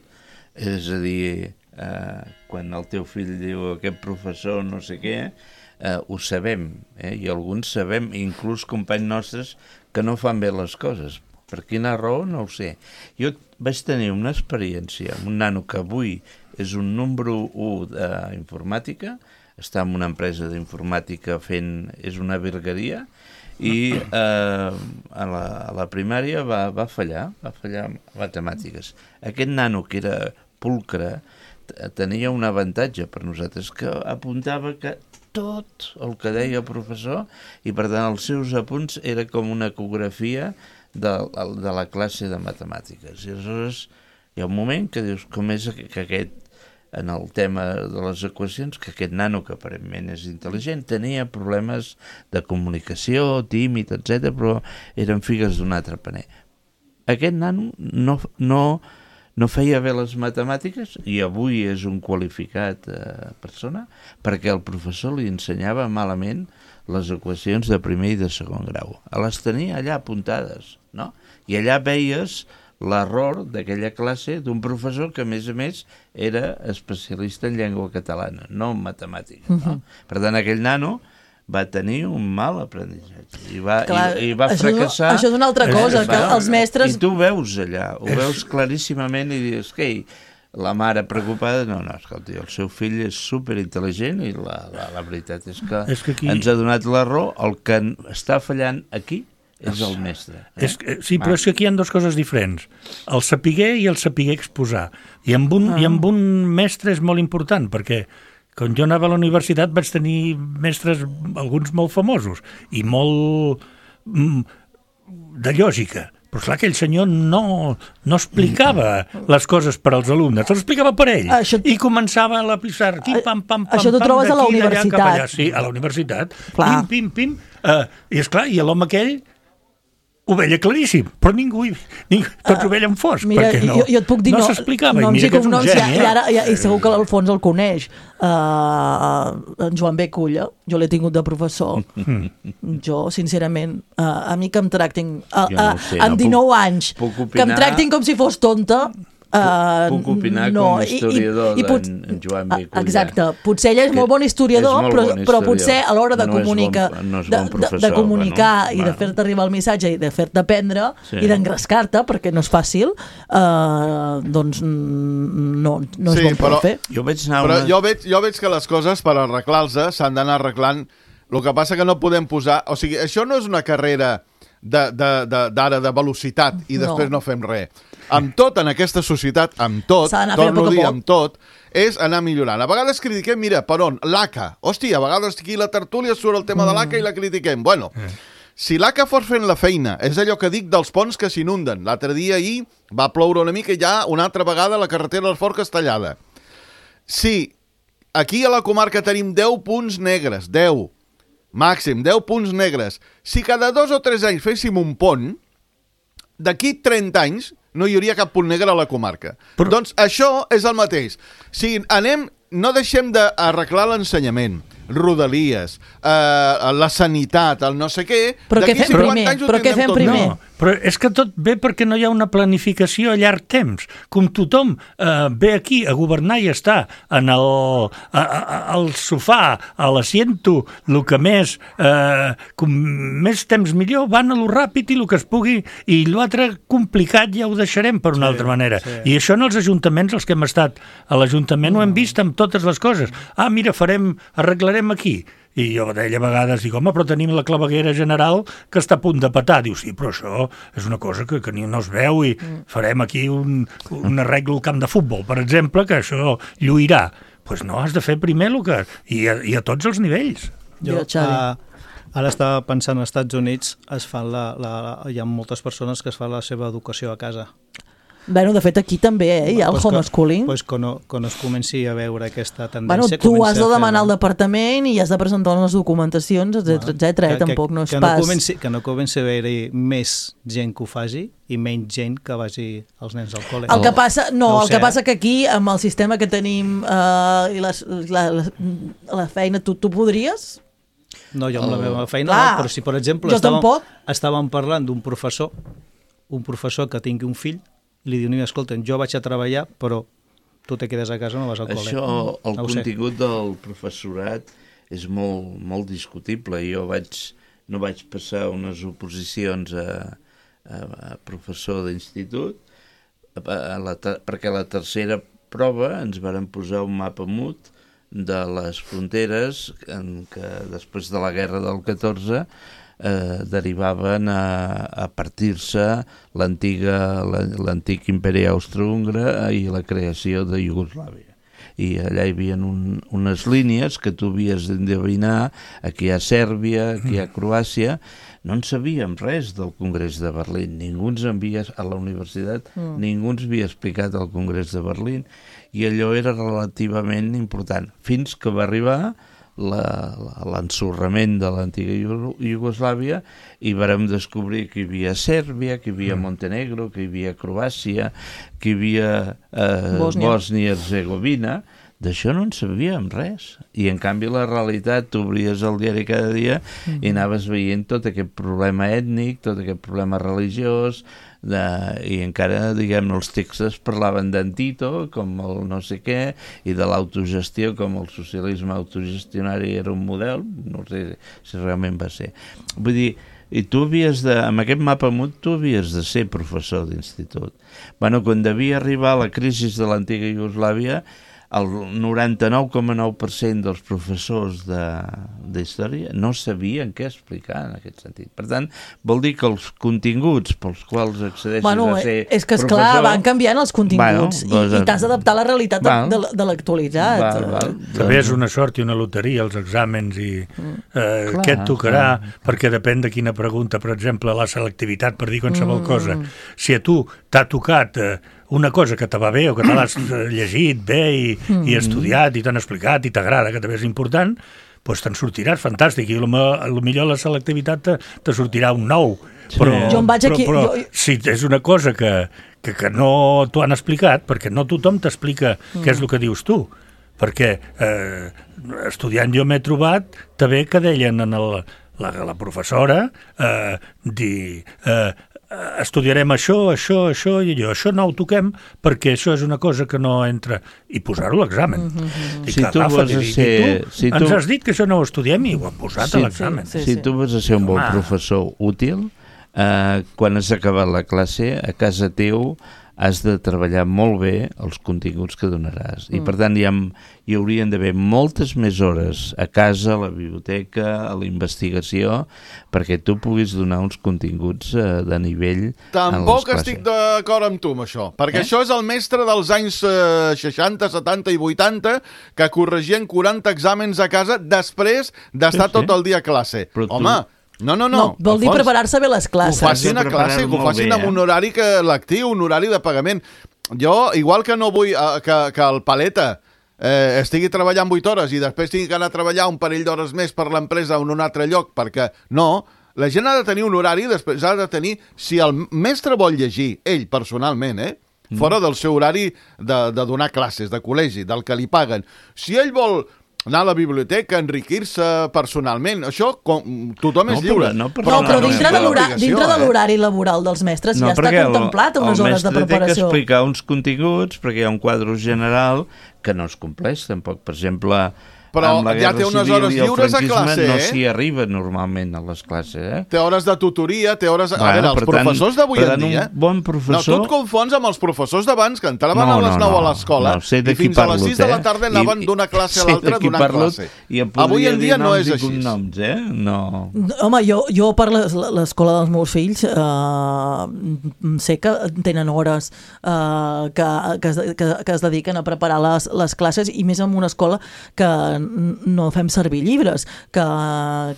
És a dir, eh, quan el teu fill diu aquest professor no sé què, eh, ho sabem, eh? I alguns sabem, inclús companys nostres, que no fan bé les coses. Per quina raó? No ho sé. Jo vaig tenir una experiència amb un nano que avui és un número u d'informàtica, està en una empresa d'informàtica fent... és una virgueria, i eh, a, la, a la primària va, va fallar, va fallar en matemàtiques. Aquest nano, que era pulcre, tenia un avantatge per nosaltres, que apuntava que tot el que deia el professor, i per tant els seus apunts era com una ecografia de, de la classe de matemàtiques. I aleshores hi ha un moment que dius, com és que aquest, en el tema de les equacions, que aquest nano, que aparentment és intel·ligent, tenia problemes de comunicació, tímid, etcètera, però eren figues d'un altre paner. Aquest nano no, no, no feia bé les matemàtiques i avui és un qualificat eh, persona perquè el professor li ensenyava malament les equacions de primer i de segon grau. Les tenia allà apuntades, no? I allà veies l'error d'aquella classe d'un professor que, a més a més, era especialista en llengua catalana, no en matemàtiques. No? Uh-huh. Per tant, aquell nano va tenir un mal aprenentatge i va, Clar, i, i va això fracassar. Això és una altra cosa, que els mestres... I tu veus allà, ho veus claríssimament i dius, que la mare preocupada, no, no, escolta, el seu fill és superintel·ligent i la, la, la veritat és que, és que aquí... ens ha donat l'error, el que està fallant aquí és el mestre. Eh? És que, sí, però és que aquí hi ha dues coses diferents. El sapiguer i el sapiguer exposar. I amb un, ah. i amb un mestre és molt important, perquè quan jo anava a la universitat vaig tenir mestres, alguns molt famosos, i molt mm, de lògica. Però clar, aquell senyor no, no explicava les coses per als alumnes, les explicava per ell. Això... I començava a lapissar, aquí, pam, pam, pam, això t'ho trobes a la universitat. Sí, a la universitat. Clar. Pim, pim, pim. Uh, I esclar, i l'home aquell ho veia claríssim, però ningú, ningú tots ho veien fosc, Mira, perquè no, jo, jo et puc dir no no, s'explicava. No, I mira que és un noms, geni, i, ara, i, i segur que l'Alfons el coneix. Uh, en Joan B. Culla, jo l'he tingut de professor. Mm. Jo, sincerament, uh, a mi que em tractin uh, uh, no sé, amb dinou puc, anys, puc que em tractin com si fos tonta. Uh, puc opinar no, com a historiador i, i, i pot, d'en Joan B. Culla. Exacte. Potser ell és molt bon historiador, molt però, bon historiador. Però potser a l'hora de no comunicar, bon, no de, bon de, de comunicar bueno, i de fer-te arribar el missatge i de fer-te aprendre sí. i d'engrescar-te, perquè no és fàcil, uh, doncs no, no és sí, bon però, fer. Jo veig, anar però una... jo, veig, jo veig que les coses, per arreglar-se, s'han d'anar arreglant. El que passa que no podem posar... O sigui, això no és una carrera d'ara de, de, de, de velocitat i després no, no fem res. Amb tot, en aquesta societat, amb tot, torno a dir, amb tot, és anar millorant. A vegades critiquem, mira, per on? L'A C A. Hòstia, a vegades aquí a la tertúlia surt el tema mm. de l'A C A i la critiquem. Bueno, mm. si l'A C A fos fent la feina, és allò que dic dels ponts que s'inunden. L'altre dia ahir va ploure una mica i ja una altra vegada la carretera del Fort Castellada. Si aquí a la comarca tenim deu punts negres, deu, màxim, deu punts negres, si cada dos o tres anys féssim un pont, d'aquí trenta anys no hi hauria cap punt negre a la comarca. Però... Doncs això és el mateix. Si anem, no deixem d'arreglar l'ensenyament, Rodalies, eh, la sanitat, el no sé què... Però què fem primer? Però què fem primer? No, però és que tot ve perquè no hi ha una planificació a llarg temps. Com tothom eh, ve aquí a governar i està en el, a, a, al sofà, a l'assiento, el que més, eh, com més temps millor, van a lo ràpid i el que es pugui, i l'altre complicat ja ho deixarem per una sí, altra manera. Sí. I això en els ajuntaments, els que hem estat a l'Ajuntament, no. ho hem vist amb totes les coses. Ah, mira, farem, arreglarem aquí. I jo deia a vegades, dic, home, però tenim la claveguera general que està a punt de petar. Diu, sí, però això és una cosa que, que no es veu i farem aquí un, un arreglo al camp de futbol, per exemple, que això lluirà. Doncs pues no, has de fer primer el que... I a, i a tots els nivells. Jo, uh, ara estava pensant, als Estats Units es fan la, la, hi ha moltes persones que es fan la seva educació a casa. Bueno, de fet, aquí també eh, hi ha el pues homeschooling. Doncs pues quan, quan es comenci a veure aquesta tendència... Bueno, tu has de demanar al departament i has de presentar les documentacions, etcètera, etcètera. Eh? Tampoc no és que pas... No comenci, que no comenci a haver-hi més gent que ho faci i menys gent que vagi els nens al col·le. El que passa, no, no el sé, que passa que aquí, amb el sistema que tenim eh, i les, la, la, la feina, tu, tu podries... No, jo amb la meva feina Clar, no, però si, per exemple, estàvem, estàvem parlant d'un professor, un professor que tingui un fill, i li diu, escolta, jo vaig a treballar, però tu te quedes a casa, no vas al col·le. Això, el no contingut del professorat és molt, molt discutible. Jo vaig, no vaig passar unes oposicions a, a, a professor d'institut, a la, perquè a la tercera prova ens varen posar un mapa mut de les fronteres en què després de la guerra del catorze Eh, derivaven a, a partir-se l'antic imperi austro-húngara i la creació de Iugoslàvia. I allà hi havia un, unes línies que tu havies d'endevinar, aquí hi ha Sèrbia, aquí hi ha Croàcia. No en sabíem res del Congrés de Berlín, ningú ens havia, a la universitat, mm. ningú ens havia explicat el Congrés de Berlín, i allò era relativament important, fins que va arribar l'ensorrament de l'antiga Iugoslàvia i vàrem descobrir que hi havia Sèrbia, que hi havia Montenegro, que hi havia Croàcia, que hi havia eh, Bòsnia i Herzegovina. D'això no en sabíem res. I, en canvi, la realitat, tu obries el diari cada dia mm. i anaves veient tot aquest problema ètnic, tot aquest problema religiós, de, i encara, diguem, els textos parlaven d'en Tito, com el no sé què, i de l'autogestió, com el socialisme autogestionari era un model, no sé si realment va ser. Vull dir, i tu havies de, amb aquest mapa mut, tu havies de ser professor d'institut. Bueno, quan devia arribar la crisi de l'antiga Iugoslàvia, el noranta-nou coma nou per cent dels professors de, de història no sabien què explicar en aquest sentit. Per tant, vol dir que els continguts pels quals accedeixes bueno, a ser és que, professor... esclar, van canviant els continguts bueno, doncs, i, i t'has d'adaptar a la realitat val, de, de, de l'actualitat. Val, val, també és una sort i una loteria, els exàmens, i eh, clar, què et tocarà, clar. Perquè depèn de quina pregunta. Per exemple, la selectivitat, per dir qualsevol mm. cosa. Si a tu t'ha tocat... Eh, una cosa que te va bé o que te l'has llegit bé i, mm. i estudiat i t'han explicat i t'agrada, que també és important, doncs te'n sortiràs fantàstic i potser la selectivitat te, te sortirà un nou. Però, jo em vaig però, aquí, però jo... si és una cosa que, que, que no t'ho han explicat, perquè no tothom t'explica mm. què és el que dius tu, perquè eh, estudiant jo m'he trobat també que deien en el, la, la professora eh, dir... Eh, estudiarem això, això, això i allò. Això no ho toquem perquè això és una cosa que no entra... I posar-ho a l'examen. Mm-hmm. I si que, tu Rafa, vas a dir, ser... tu, Si tu... ens has dit que això no ho estudiem i ho hem posat sí, a l'examen. Sí, sí, si sí. tu vas a ser un bon Home. professor útil, eh, quan has acabat la classe, a casa teu has de treballar molt bé els continguts que donaràs. Mm. I, per tant, hi, ha, hi haurien d'haver moltes més hores a casa, a la biblioteca, a la investigació, perquè tu puguis donar uns continguts eh, de nivell Tampoc en les classes. estic d'acord amb tu, amb això, perquè Eh? això és el mestre dels anys eh, seixanta, setanta i vuitanta que corregien quaranta exàmens a casa després d'estar Sí, sí. tot el dia a classe. Però tu- Home, no, no, no. No, vol dir Alfons, preparar-se bé les que ho classes. facin a Has de classe, que ho preparar-ho facin molt amb bé, un eh? horari que lectiu, un horari de pagament. Jo, igual que no vull eh, que, que el paleta eh, estigui treballant vuit hores i després tingui que anar a treballar un parell d'hores més per l'empresa o en un altre lloc, perquè no, la gent ha de tenir un horari, després ha de tenir, si el mestre vol llegir, ell personalment, eh, mm. fora del seu horari de, de donar classes, de col·legi, del que li paguen. Si ell vol anar a la biblioteca, enriquir-se personalment, això com, tothom és No, lliure. però- no, però- No, però no, dintre no, de no, l'hora- obligació, dintre de eh? l'horari laboral dels mestres No, ja està perquè el- contemplat unes el hores de mestre té que preparació. explicar uns continguts perquè hi ha un quadre general que no es compleix tampoc. Per exemple, Però amb la ja Guerra té unes Civil hores i el lliures a franquisme classe, no eh? s'hi arriba normalment a les classes, eh? Té hores de tutoria, té hores... A Bueno, veure, els per tant- professors d'avui per en tant, dia... un bon professor- No, tu et confons amb els professors d'abans, que entraven No, a les no, nou no. a l'escola No, sé de i qui fins a parlo, les sis de la eh? tarda anaven I- d'una classe a sé l'altra de qui donant parlo classe. i em Avui podria en dir dia no noms és i així. cognoms, eh? No. Home, jo, jo per les- l'escola dels meus fills eh, sé que tenen hores eh, que, que, es, que, que es dediquen a preparar les, les classes i més en una escola que n- no fem servir llibres, que,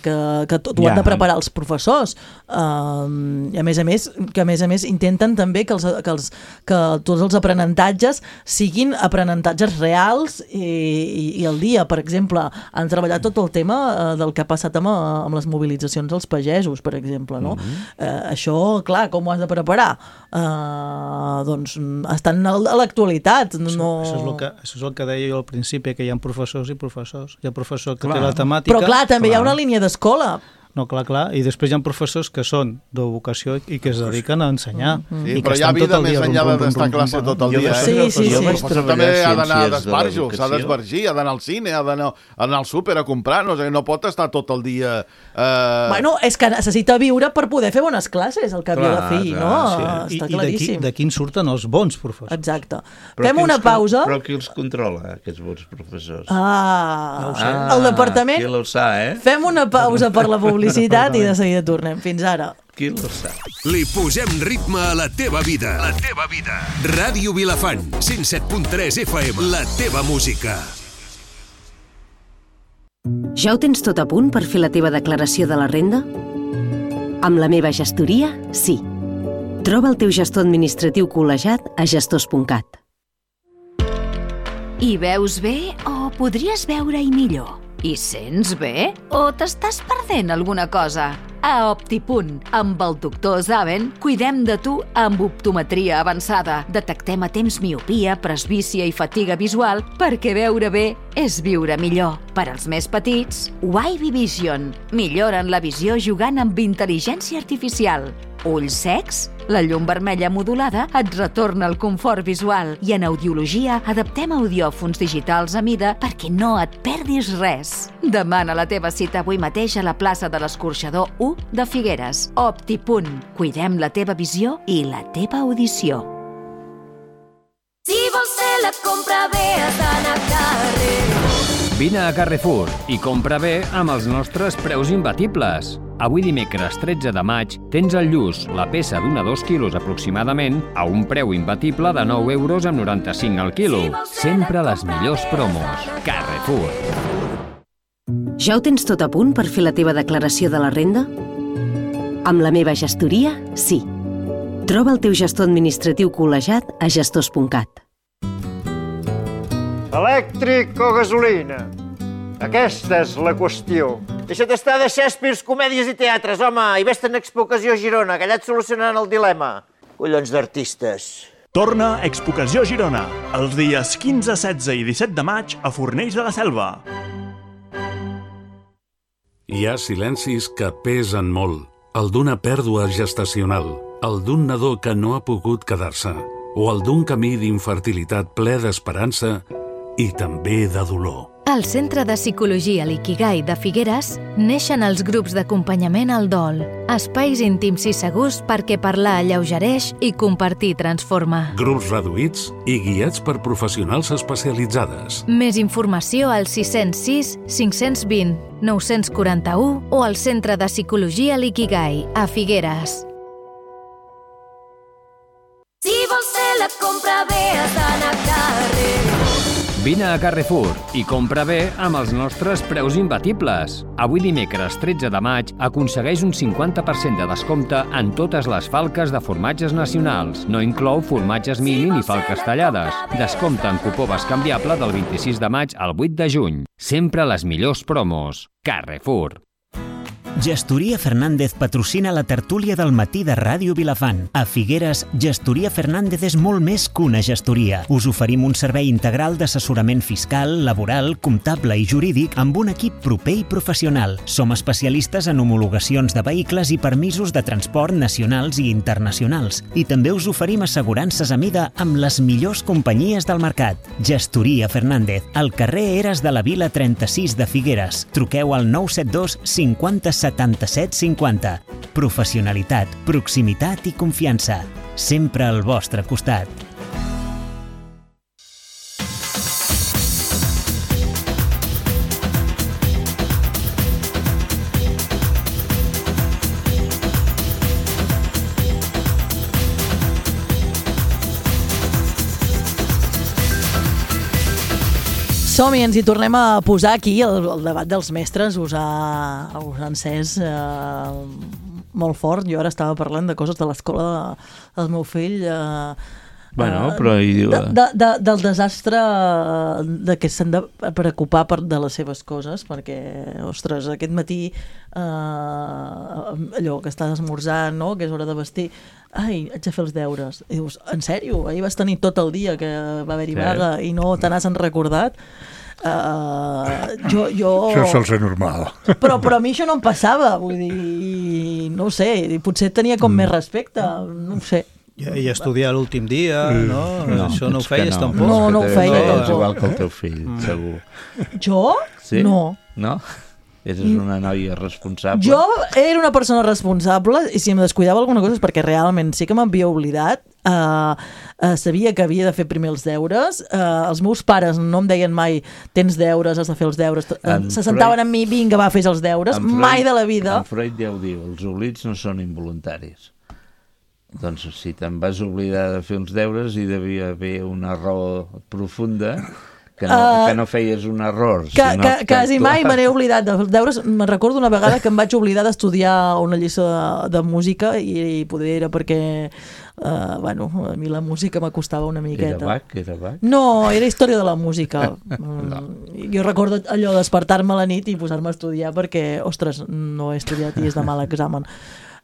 que, que tot ho Ja. han de preparar els professors. Eh, I a més a més, que a més a més intenten també que, els, que, els, que tots els aprenentatges siguin aprenentatges reals i, i, i al dia. Per exemple, han treballat tot el tema eh, del que ha passat amb, amb les mobilitzacions dels pagesos, per exemple, no? Mm-hmm. eh, això, clar, com ho has de preparar? Eh, doncs estan a l'actualitat. No... Això, això, és el que, això és el que deia jo al principi, que hi ha professors i professors. Hi ha professor que Clar. té la temàtica... Però clar, també clar. hi ha una línia d'escola. No, clar, clar. I després hi ha professors que són de vocació i que es dediquen a ensenyar. Mm-hmm. Sí, I que però hi ha estan tot vida el més dia enllà rum, rum, d'estar a rum, classe rum, tot el jo dia. vaig eh? Sí, sí, jo sí. vaig Però treballar també ha d'anar a ciències de d'esbarjos, ha l'educació. d'esbargir, ha d'anar al cine, ha d'anar ha d'anar al súper a comprar, no, sé, no pot estar tot el dia... Eh... Bueno, és que necessita viure per poder fer bones classes, al cap i a la Clar, fi, clar, no? sí. I, Està i d'aquí, claríssim. d'aquí en surten els bons professors. Exacte. Però Fem qui una els con- pausa. Però qui els controla, aquests bons professors? Ah, Ah, el departament. Qui lo sa, eh? Fem una pausa per la publicitat i de seguida tornem. Fins ara. Qui lo sa? Li posem ritme a la teva vida. La teva vida. Ràdio Vilafant, cent set punt tres F M. La teva música. Ja ho tens tot a punt per fer la teva declaració de la renda? Amb la meva gestoria, sí. Troba el teu gestor administratiu col·legiat a gestors punt cat. Hi veus bé o podries veure-hi millor? Hi sents bé o t'estàs perdent alguna cosa? a Optipunt. Amb el doctor Zaven cuidem de tu amb optometria avançada. Detectem a temps miopia, presbícia i fatiga visual perquè veure bé és viure millor. Per als més petits, Wavy Vision. Milloren la visió jugant amb intel·ligència artificial. Ulls secs? La llum vermella modulada et retorna el confort visual i en audiologia adaptem audiòfons digitals a mida perquè no et perdis res. Demana la teva cita avui mateix a la plaça de l'Escorxador u de Figueres. Optipunt. Cuidem la teva visió i la teva audició. Si vols fer la compra bé has d'anar a Carrefour. Vine a Carrefour i compra bé amb els nostres preus imbatibles. Avui dimecres tretze de maig tens al Lluç la peça d'un a dos quilos aproximadament a un preu imbatible de nou euros amb noranta-cinc al quilo. Sempre les millors promos. Carrefour. Ja ho tens tot a punt per fer la teva declaració de la renda? Amb la meva gestoria, sí. Troba el teu gestor administratiu col·legiat a gestors punt cat. Elèctric o gasolina? Aquesta és la qüestió. Deixa't estar de Shakespeare, comèdies i teatres, home, i vés-te'n a Expocació Girona, que allà et solucionaran el dilema. Collons d'artistes. Torna a Expocació Girona, els dies quinze, setze i disset de maig a Fornells de la Selva. Hi ha silencis que pesen molt. El d'una pèrdua gestacional, el d'un nadó que no ha pogut quedar-se, o el d'un camí d'infertilitat ple d'esperança i també de dolor. Al Centre de Psicologia Liquigai de Figueres neixen els grups d'acompanyament al dol, espais íntims i segurs perquè parlar alleugereix i compartir transforma. Grups reduïts i guiats per professionals especialitzades. Més informació al sis zero sis, cinc dos zero, nou quatre u o al Centre de Psicologia Liquigai a Figueres. Si vols fer la compra bé has d'anar a Carrefour. Vine a Carrefour i compra bé amb els nostres preus imbatibles. Avui dimecres tretze de maig aconsegueix un cinquanta per cent de descompte en totes les falques de formatges nacionals. No inclou formatges mini ni falques tallades. Descompte en cupó bescanviable del vint-i-sis de maig al vuit de juny. Sempre les millors promos. Carrefour. Gestoria Fernández patrocina la tertúlia del matí de Ràdio Vilafant. A Figueres, Gestoria Fernández és molt més que una gestoria. Us oferim un servei integral d'assessorament fiscal, laboral, comptable i jurídic amb un equip proper i professional. Som especialistes en homologacions de vehicles i permisos de transport nacionals i internacionals. I també us oferim assegurances a mida amb les millors companyies del mercat. Gestoria Fernández, al carrer Eres de la Vila trenta-sis de Figueres. Truqueu al nou set dos cinquanta setanta-set cinquanta. Professionalitat, proximitat i confiança. Sempre al vostre costat. Som-hi, ens hi tornem a posar aquí. El, el debat dels mestres us ha, us ha encès eh, molt fort. Jo ara estava parlant de coses de l'escola de, del meu fill. Eh, bueno, però... Hi... De, de, de, del desastre de que s'han de preocupar per, de les seves coses, perquè, ostres, aquest matí eh, allò que estàs esmorzant, no?, que és hora de vestir, ai, haig de fer els deures. I dius, en sèrio? Ahir vas tenir tot el dia que va haver-hi sí. vaga i no te n'has recordat? Uh, jo, jo... Això sol ser normal. Però, però a mi això no em passava, vull dir, no ho sé, potser tenia com mm. més respecte, no ho sé. I, i estudiar l'últim dia, no? no? Això no ho feies no. tampoc? No, no ho feia no, tampoc. És igual que el teu fill, mm. segur. Jo? Sí? No. No? Eres una noia responsable? Jo era una persona responsable i si em descuidava alguna cosa és perquè realment sí que m'havia oblidat. Uh, uh, sabia que havia de fer primer els deures. Uh, els meus pares no em deien mai tens deures, has de fer els deures. En Se sentaven Freud, amb mi, vinga, va, fes els deures. Freud, mai de la vida. En Freud ja ho diu, els oblits no són involuntaris. Doncs si te'n vas oblidar de fer els deures hi devia haver una raó profunda Que no, Uh, que no feies un error. Que, sinó que, que quasi mai actuaves. me n'he oblidat de deures. Me'n recordo una vegada que em vaig oblidar d'estudiar una lliçó de, de música i, i poder era perquè uh, bueno, a mi la música m'acostava una miqueta. Era Bach? Era Bach? No, era història de la música. no. Jo recordo allò d'espertar-me a la nit i posar-me a estudiar perquè, ostres, no he estudiat i és de mal examen.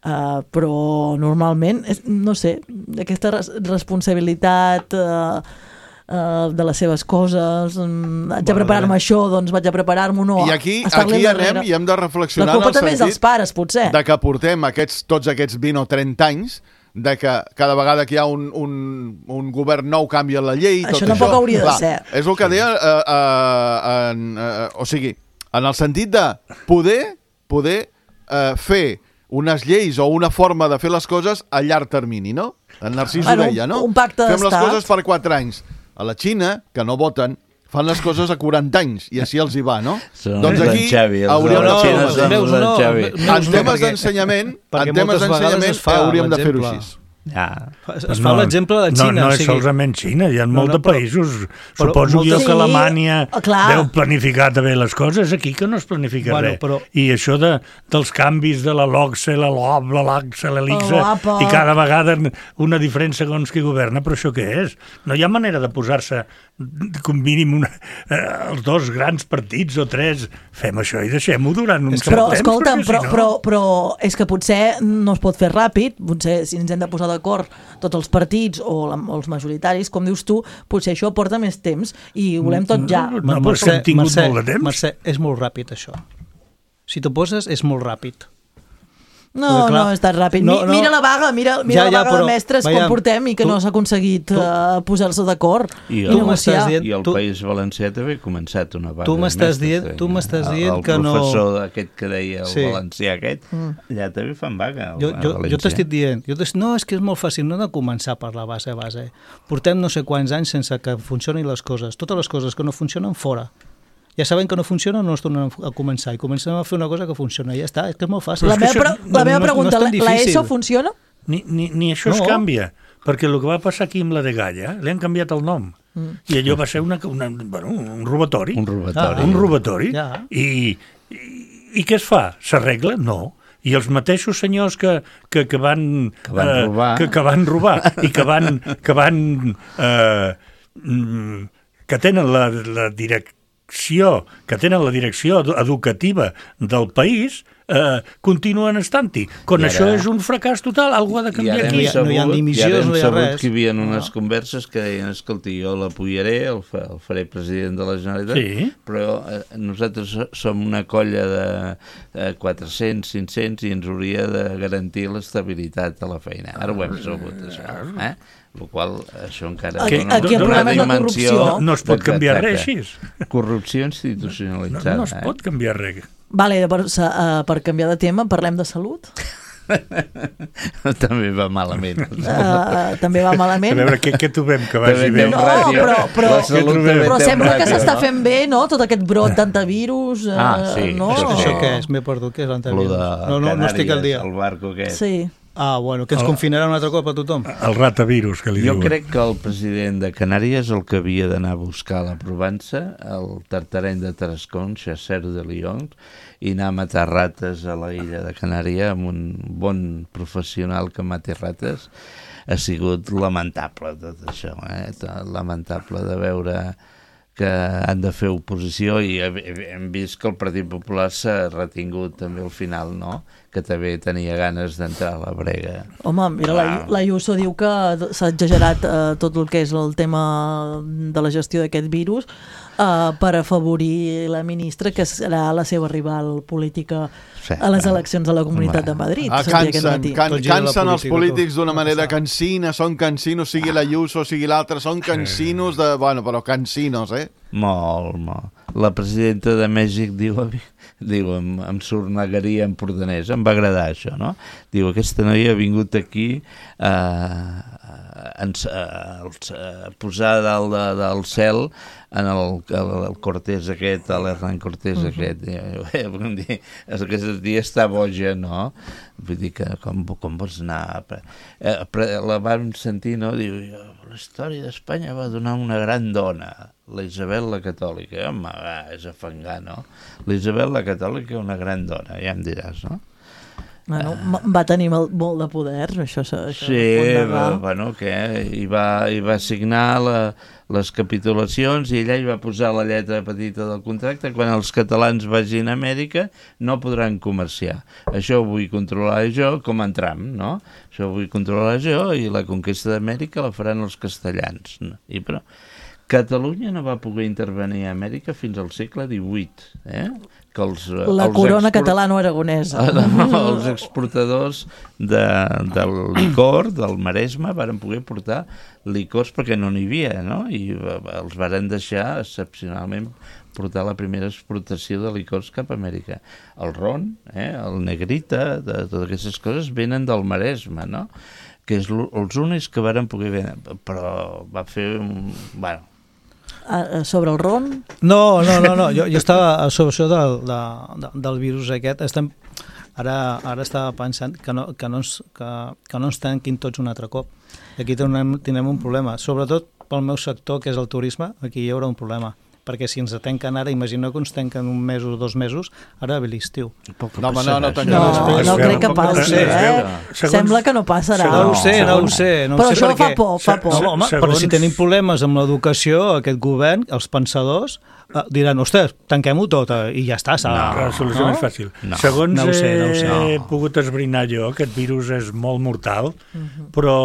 Uh, però normalment, és, no sé, aquesta res responsabilitat... Uh, Uh, de les seves coses, um, haig de preparar-me això, doncs vaig a preparar-me no. I aquí, aquí anem i hem de reflexionar la culpa en el també és dels pares, potser. de que portem aquests, tots aquests vint o trenta anys de que cada vegada que hi ha un, un, un govern nou canvia la llei. Això tot tampoc això. hauria de Clar, ser. És el que deia, uh, uh, en, uh, o sigui, en el sentit de poder, poder uh, fer unes lleis o una forma de fer les coses a llarg termini, no? En Narcís bueno, ho deia, no? Un pacte Fem les d'estat. coses per quatre anys. A la Xina, que no voten, fan les coses a quaranta anys i així els hi va, no? Són doncs els aquí Xavi, els hauríem de fer xinès són els no, Xavi. en temes d'ensenyament, en temes d'ensenyament hauríem de fer-ho així. Ja. Es, es fa l'exemple de Xina. No, no o és sigui... solament Xina, hi ha No, molts no, de però- països. però Suposo moltes- jo que Sí, Alemanya clar. deu planificar també les coses, aquí que no es planifica Bueno, res. però- I això de, dels canvis de la LOCSE, la LOB, la LACSE, la LICSE, La LAPA. i cada vegada una diferent segons qui governa, però això què és? No hi ha manera de posar-se com mínim una, eh, els dos grans partits o tres, fem això i deixem-ho durant un cert Però, temps. escolta'm, perquè però, si no- però, però és que potser no es pot fer ràpid, potser si ens hem de posar d'acord tots els partits o, la, o els majoritaris, com dius tu, potser això porta més temps i ho volem tot ja. No, però és que hem tingut Mercè, molt de temps. Mercè, és molt ràpid això. Si t'ho poses, és molt ràpid. No, Perquè, clar, no és tan ràpid. no, Mi- no. Mira la vaga, mira, mira Ja, la ja, vaga però, de mestres veiem, com portem i que tu- no s'ha aconseguit tu- uh, posar-se d'acord I i el, negociar. dient- I el tu- País Valencià també ha començat una vaga Tu de m'estàs mestres, dient- eh? tu m'estàs dient el, que no- El professor aquest que deia, el Sí. valencià aquest, Mm. allà també fan vaga. Jo, a jo, jo València. t'estic dient, jo t'estic, no, és que és molt fàcil, no hem de començar per la base a base. Portem no sé quants anys sense que funcionin les coses. Totes les coses que no funcionen, fora. Ja sabem que no funciona, no es tornen a començar i comencem a fer una cosa que funciona, i ja està, és que és molt fàcil. La És que meva, això pre la meva no, pregunta, no és tan la difícil. ESO funciona? Ni, ni, ni això no. es No. canvia, perquè el que va passar aquí amb la de Galla, li han canviat el nom. Mm. I allò va ser una, una, bueno, un robatori. Un robatori. Ah, un robatori. Ja. I, i, I què es fa? S'arregla? No. I els mateixos senyors que, que, que van... Que van eh, robar. Que, que van robar i que van... Que, van, eh, mm, que tenen la, la direcció que tenen la direcció edu- educativa del país eh, continuen estant-hi. Quan I ara- això és un fracàs total, algú ha de I canviar ara aquí. hem sabut, no hi ha ni missions, i ara hem no hi ha sabut res. que hi havia unes converses que deien, escolti, jo l'apoyaré, el, fa, el faré president de la Generalitat, Sí. però eh, nosaltres so- som una colla de eh, quatre-cents, cinc-cents i ens hauria de garantir l'estabilitat a la feina. Ara ho hem sabut, això. Eh? El qual, això encara... Aquí- dona aquí el una problema és la dimensió- corrupció. No es pot canviar res Exacte. així. Corrupció No, institucionalitzada. no es pot canviar res. Vale, per, uh, per canviar de tema, parlem de salut. Eh? També va malament. Uh, també va A malament. veure, què, què trobem que vagi També bé? té un No, ràdio. però- però- La salut també Però té un sembla que ràdio, s'està no? fent bé, no?, tot aquest brot d'antivirus. Uh, Ah, sí, no? això Això, sí. això què és? M'he perdut, què és Lo l'anterior? de No, no, no estic al dia. Canàries, el barco aquest. Sí. Ah, bueno, que ens El- confinaran un altre cop a tothom. El ratavirus, que li Jo diuen. crec que el president de Canàries el que havia d'anar a buscar a la Provença, el tartareny de Tarascon, Chasser de Lyon, i anar a matar rates a la illa de Canària amb un bon professional que mati rates, ha sigut lamentable tot això, eh? Lamentable de veure que han de fer oposició i hem vist que el Partit Popular s'ha retingut també al final, no? Que també tenia ganes d'entrar a la brega. Home, mira, la, la Ayuso diu que s'ha exagerat eh, tot el que és el tema de la gestió d'aquest virus eh, per afavorir la ministra, que serà la seva rival política Sí, a les ah, eleccions de la Comunitat home. de Madrid. Ah, sentia aquest cansen, matí. can, Tot gira la cansen els política, polítics tot. d'una No manera passa. cansina, són cansinos, sigui la Ayuso, sigui l'altre, són cansinos de... Bueno, però cansinos, eh? Molt, molt. La presidenta de Mèxic diu, diu em, em sornegaria empordanès, em va agradar això, no? Diu, aquesta noia ha vingut aquí a, a, a, a posar dalt de, del cel en el, el, el Cortés aquest, l'Hernán Cortés uh -huh. aquest. I, vull dir, aquest dia està boja, no? Vull dir que com, com vols anar... Eh, la vam sentir, no? Diu, la història d'Espanya va donar una gran dona. la Isabel la Catòlica. Home, va, és afangar, no? La Isabel la Catòlica, una gran dona, ja em diràs, no? Bueno, va tenir molt de poder, això. això sí, va, bueno, què? I va, i va signar la, les capitulacions i ella hi va posar la lletra petita del contracte: quan els catalans vagin a Amèrica no podran comerciar. Això ho vull controlar jo, com en Trump, no? Això ho vull controlar jo i la conquesta d'Amèrica la faran els castellans. No? I però Catalunya no va poder intervenir a Amèrica fins al segle divuit, eh? Que els, la els corona export... catalano-aragonesa. No, els exportadors de, del licor, del Maresme, varen poder portar licors perquè no n'hi havia, no? I els varen deixar excepcionalment portar la primera exportació de licors cap a Amèrica. El ron, eh? El negrita, de, totes aquestes coses venen del Maresme, no? Que és els únics que varen poder vendre, però va fer un... Bueno, sobre el ron? No, no, no, no. Jo, jo estava sobre això del, de, del virus aquest. Estem, ara, ara estava pensant que no, que, no ens, que, que no ens tanquin tots un altre cop. Aquí tenim, tenim un problema. Sobretot pel meu sector, que és el turisme, aquí hi haurà un problema. Perquè si ens tanquen ara, imagino que ens tanquen un mes o dos mesos, ara ve l'estiu. No, home, no, no, no, no, no crec que passi, eh? Sembla que no passarà. No ho sé, no ho sé. No però ho sé això perquè... fa por, fa por. No, home, però si tenim problemes amb l'educació, aquest govern, els pensadors, eh, diran, ostres, tanquem-ho tot eh, i ja està. No, la solució no? és fàcil. No. Segons no sé, no sé. he no. pogut esbrinar jo, aquest virus és molt mortal, uh-huh. però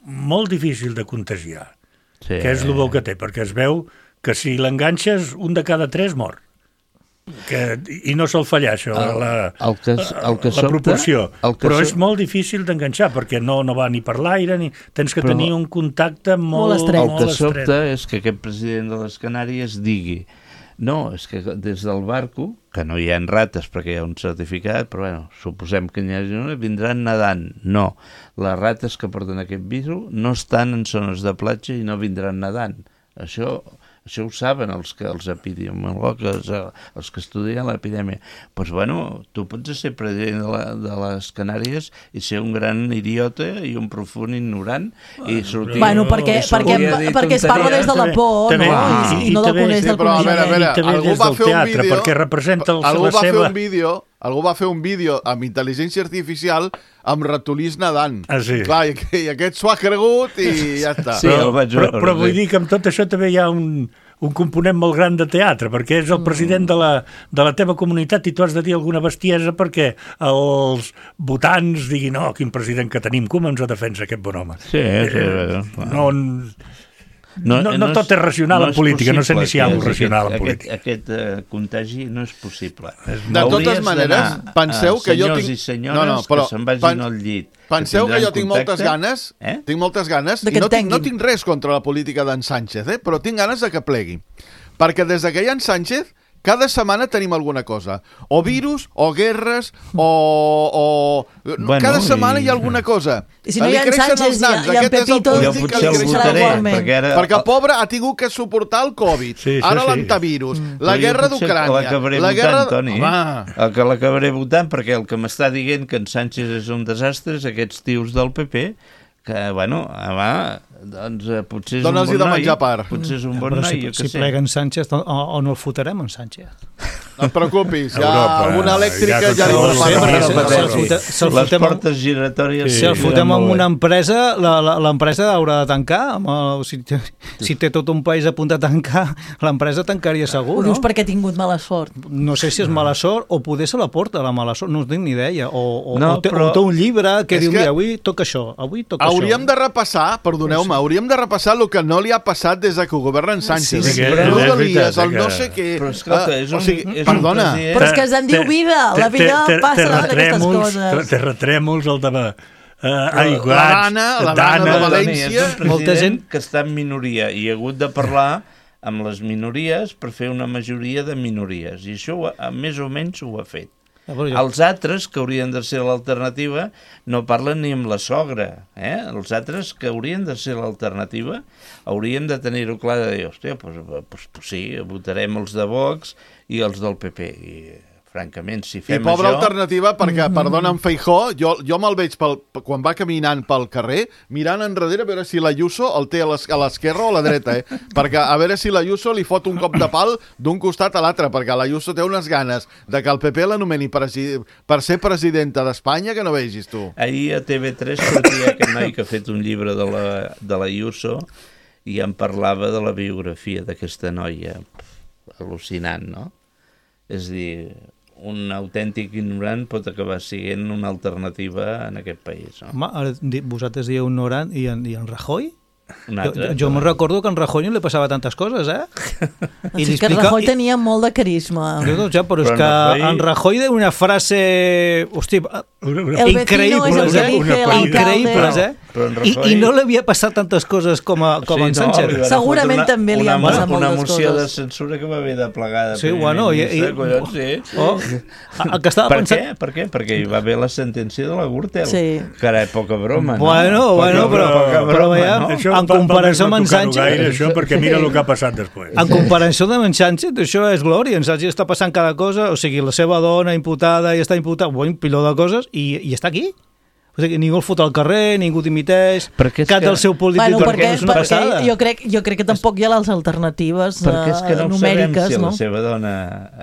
molt difícil de contagiar, sí. que és el bo que té, perquè es veu que si l'enganxes, un de cada tres mor. Que, I no sol fallar, això, el, la, el que, el que la sobta, proporció. El que Però so... és molt difícil d'enganxar, perquè no, no va ni per l'aire, ni tens que Però tenir un contacte molt, molt estret. El que sobta és que aquest president de les Canàries digui no, és que des del barco, que no hi ha rates perquè hi ha un certificat, però bueno, suposem que n'hi hagi una, vindran nedant. No, les rates que porten aquest virus no estan en zones de platja i no vindran nedant. Això... Això ho saben els, que, els epidemiologs, els que estudien l'epidèmia. Doncs, pues, bueno, tu pots ser president de, la, de les Canàries i ser un gran idiota i un profund ignorant i sortir... Bueno, perquè, perquè, perquè es parla des de la por, no? I, i no del coneix del coneixement. I també des del teatre, perquè representa el, algú la va seva... Fer un vídeo, algú va fer un vídeo amb intel·ligència artificial amb ratolins nedant. Ah, sí. Clar, i, i aquest s'ho ha cregut i ja està. Sí, però, però, però vull dir que amb tot això també hi ha un, un component molt gran de teatre, perquè és el president de la, de la teva comunitat i tu has de dir alguna bestiesa perquè els votants diguin no, quin president que tenim, com ens defensa aquest bon home. Sí, sí. Eh, no... No, no, no tot és racional no en política, no sé ni si hi ha un racional en política. Aquest, aquest uh, contagi no és possible. De totes maneres, penseu que jo tinc... Senyors i senyores no, no, però, que se'n vagin pan... al llit. Penseu que, que jo tinc contacte. moltes ganes, eh? tinc moltes ganes, i no tinc, no tinc res contra la política d'en Sánchez, eh? però tinc ganes de que plegui. Perquè des que hi ha en Sánchez, cada setmana tenim alguna cosa. O virus, o guerres, o... o... Bueno, cada setmana i... hi ha alguna cosa. I si no hi ha en Sánchez, hi ha, hi ha en Pepito... Jo potser el votaré, perquè ara... Perquè el pobre ha tingut que suportar el Covid, sí, ara sí. l'antivirus, mm. la guerra d'Ucrània... La guerra... votant, Toni. El que l'acabaré votant, perquè el que m'està dient que en Sánchez és un desastre és aquests tios del P P, que, bueno, va, doncs potser és Dóna'ls un bon noi, potser és un bon noi, si, jo si sé. plega en Sánchez, o, o no el fotrem en Sánchez. No et preocupis, ja alguna elèctrica ja li ho sé. Les portes giratòries... Si el fotem en una empresa, l'empresa haurà de tancar. Si té tot un país a punt de tancar, l'empresa tancaria segur, no? Ho dius perquè ha tingut mala sort. No sé si és mala sort o poder se la porta, la mala sort, no tinc ni idea. O té un llibre que diu, mira, avui toca això, avui toca això. Hauríem de repassar, perdoneu-me, hauríem de repassar el que no li ha passat des que governa en Sánchez. Rodalies, el no sé què... Però escolta, és un... Perdona. Però és que se'n diu vida, la vida passa d'aquestes coses. Terratrèmols, el de... aiguats, la Dana, la Dana de València... Molta gent que està en minoria i ha hagut de parlar amb les minories per fer una majoria de minories. I això més o menys ho ha fet. Els altres, que haurien de ser l'alternativa, no parlen ni amb la sogra. Eh? Els altres, que haurien de ser l'alternativa, haurien de tenir-ho clar de dir, hòstia, doncs, doncs, doncs sí, votarem els de Vox i els del P P. I francament, si I fem pobra això... alternativa, perquè, mm-hmm. perdona, en Feijó, jo, jo me'l veig pel, quan va caminant pel carrer, mirant enrere a veure si l'Ayuso el té a l'esquerra o a la dreta, eh? Perquè a veure si l'Ayuso li fot un cop de pal d'un costat a l'altre, perquè l'Ayuso té unes ganes de que el P P l'anomeni presi- per ser presidenta d'Espanya que no vegis tu. Ahir a T V tres sortia aquest noi que ha fet un llibre de la, de l'Ayuso i em parlava de la biografia d'aquesta noia. Al·lucinant, no? És a dir, un autèntic ignorant pot acabar sent una alternativa en aquest país, no? Home, ara di- vosaltres dieu ignorant i en, i en Rajoy? Un Jo, altre, jo, jo me'n recordo que en Rajoy no li passava tantes coses, eh? I sí, que en Rajoy tenia molt de carisma. Jo, ja, però, però és que Rajoy... en Rajoy de una frase... Hosti, increïbles, eh? Increïbles, eh? Rajoy... I, I no li havia passat tantes coses com a, com sí, en Sánchez. No, segurament una, també li han passat moltes coses. Una moció de censura que va haver de plegar de sí, bueno, i, i, collons, sí. Oh, el que estava per pensant... què? Per què? Perquè hi va haver la sentència de la Gürtel, sí. que era poca broma, no? Bueno, poca bueno, però, broma, però veia, no? Això, en comparació amb en Sánchez... Gaire, això, perquè mira el que ha passat després. En comparació amb en Sánchez, això és glòria. En Sánchez està passant cada cosa, o sigui, la seva dona imputada i està imputada, un piló de coses, i, i està aquí. O sigui, ningú el fot al carrer, ningú dimiteix, cap que... del seu polític bueno, perquè, no és una perquè passada. Jo crec, jo crec que tampoc hi ha les alternatives numèriques, perquè és que no numèriques, sabem si no? la seva dona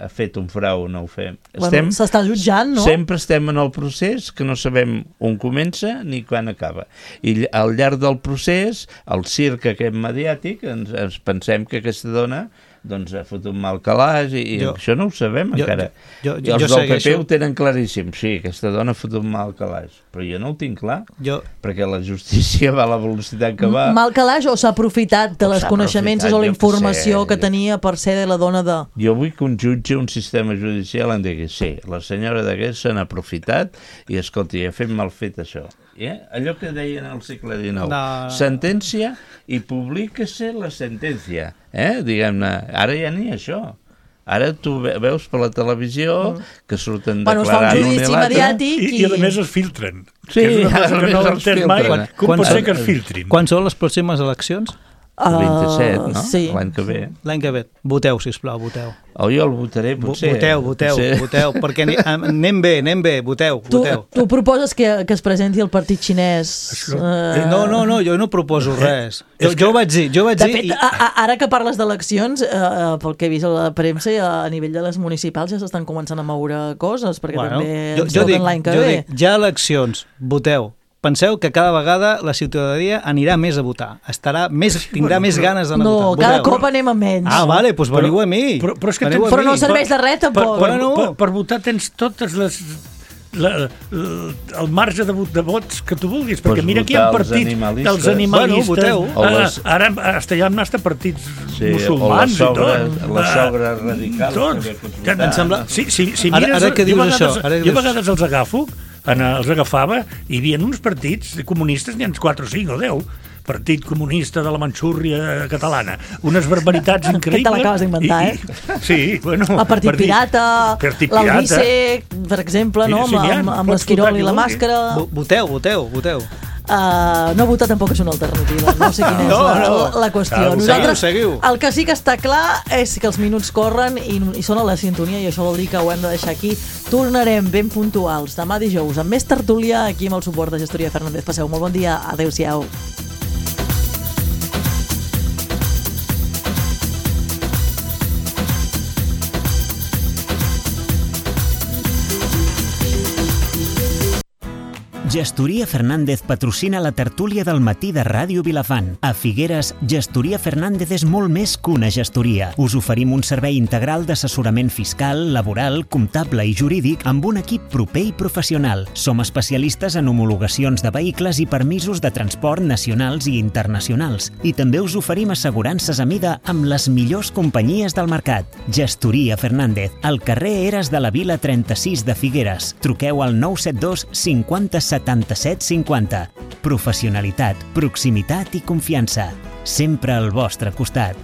ha fet un frau o no ho fem. Bueno, s'està jutjant, no? Sempre estem en el procés que no sabem on comença ni quan acaba. I al llarg del procés, el circ aquest mediàtic, ens, ens pensem que aquesta dona doncs ha fotut mal calaix i, i jo, això no ho sabem jo, encara. Jo, jo, I els jo del P P ho tenen claríssim. Sí, aquesta dona ha fotut mal calaix. Però jo no ho tinc clar, jo... perquè la justícia va a la velocitat que va. Mal calaix o s'ha aprofitat de les coneixements o la informació que tenia per ser la dona de... Jo vull que un jutge, un sistema judicial em digui, sí, la senyora d'aquest s'han aprofitat i, escolti, ha fet mal fet això. Eh? Allò que deien al segle dinou. No. Sentència i publica-se la sentència. Eh? Diguem-ne, ara ja ni això. Ara tu veus per la televisió que surten bueno, declarant un i l'altre. I, i a més es filtren. Sí, que és una cosa que no els l'entén mai. Com pot ser que es filtrin? Quan són les pròximes eleccions? El vint-i-set, no? Sí. L'any que ve. L'any que ve. Voteu, sisplau, voteu. O jo el votaré, potser. Voteu, voteu, potser. voteu, perquè anem bé, anem bé, voteu, tu, voteu. Tu proposes que, que es presenti el partit xinès? Uh... No, no, no, jo no proposo res. Jo, jo ho vaig dir, jo vaig de dir... Fet, i... a, ara que parles d'eleccions, uh, pel que he vist a la premsa, a nivell de les municipals ja s'estan començant a moure coses, perquè bueno, també jo, ens jo dic, l'any que jo ve. Dic, ja eleccions, voteu. Penseu que cada vegada la ciutadania anirà més a votar. Estarà més, tindrà més ganes d'anar no, a votar. No, cada cop anem a menys. Ah, vale, doncs veniu a mi. Però, però, és que tens, però no serveix de res, tampoc. Per, per, per, per votar tens totes les... La, la, el marge de, vot, de vots que tu vulguis, perquè pues mira que hi ha partits dels animalistes, bueno, les... ara hasta hi ha hasta partits sí, musulmans o les sobres radicals tots. Que em sembla, si, si, si mires, ara, ara que dius vegades, això ara jo a vegades els agafo en, els agafava i hi havia uns partits comunistes, n'hi ha quatre o cinc o deu Partit Comunista de la Manxúria catalana. Unes barbaritats increïbles. Que te l'acabes d'inventar, eh? I, sí, bueno... El Partit partit, Pirata, l'Albice, per exemple, no? Sí, sí, amb, amb l'esquirol i la màscara... Voteu, voteu, voteu. Uh, no votar tampoc és una alternativa, no sé quina és no, la, no. la qüestió. Ah, Nosaltres, seguiu, seguiu. El que sí que està clar és que els minuts corren i, i són a la sintonia i això vol dir que ho hem de deixar aquí. Tornarem ben puntuals demà dijous amb més tertúlia aquí amb el suport de Gestoria Fernández. Passeu molt bon dia, adeu-siau. Gestoria Fernández patrocina la tertúlia del matí de Ràdio Vilafant. A Figueres, Gestoria Fernández és molt més que una gestoria. Us oferim un servei integral d'assessorament fiscal, laboral, comptable i jurídic amb un equip proper i professional. Som especialistes en homologacions de vehicles i permisos de transport nacionals i internacionals. I també us oferim assegurances a mida amb les millors companyies del mercat. Gestoria Fernández, al carrer Eres de la Vila trenta-sis de Figueres. Truqueu al nou set dos cinquanta setanta-set cinquanta. Professionalitat, proximitat i confiança. Sempre al vostre costat.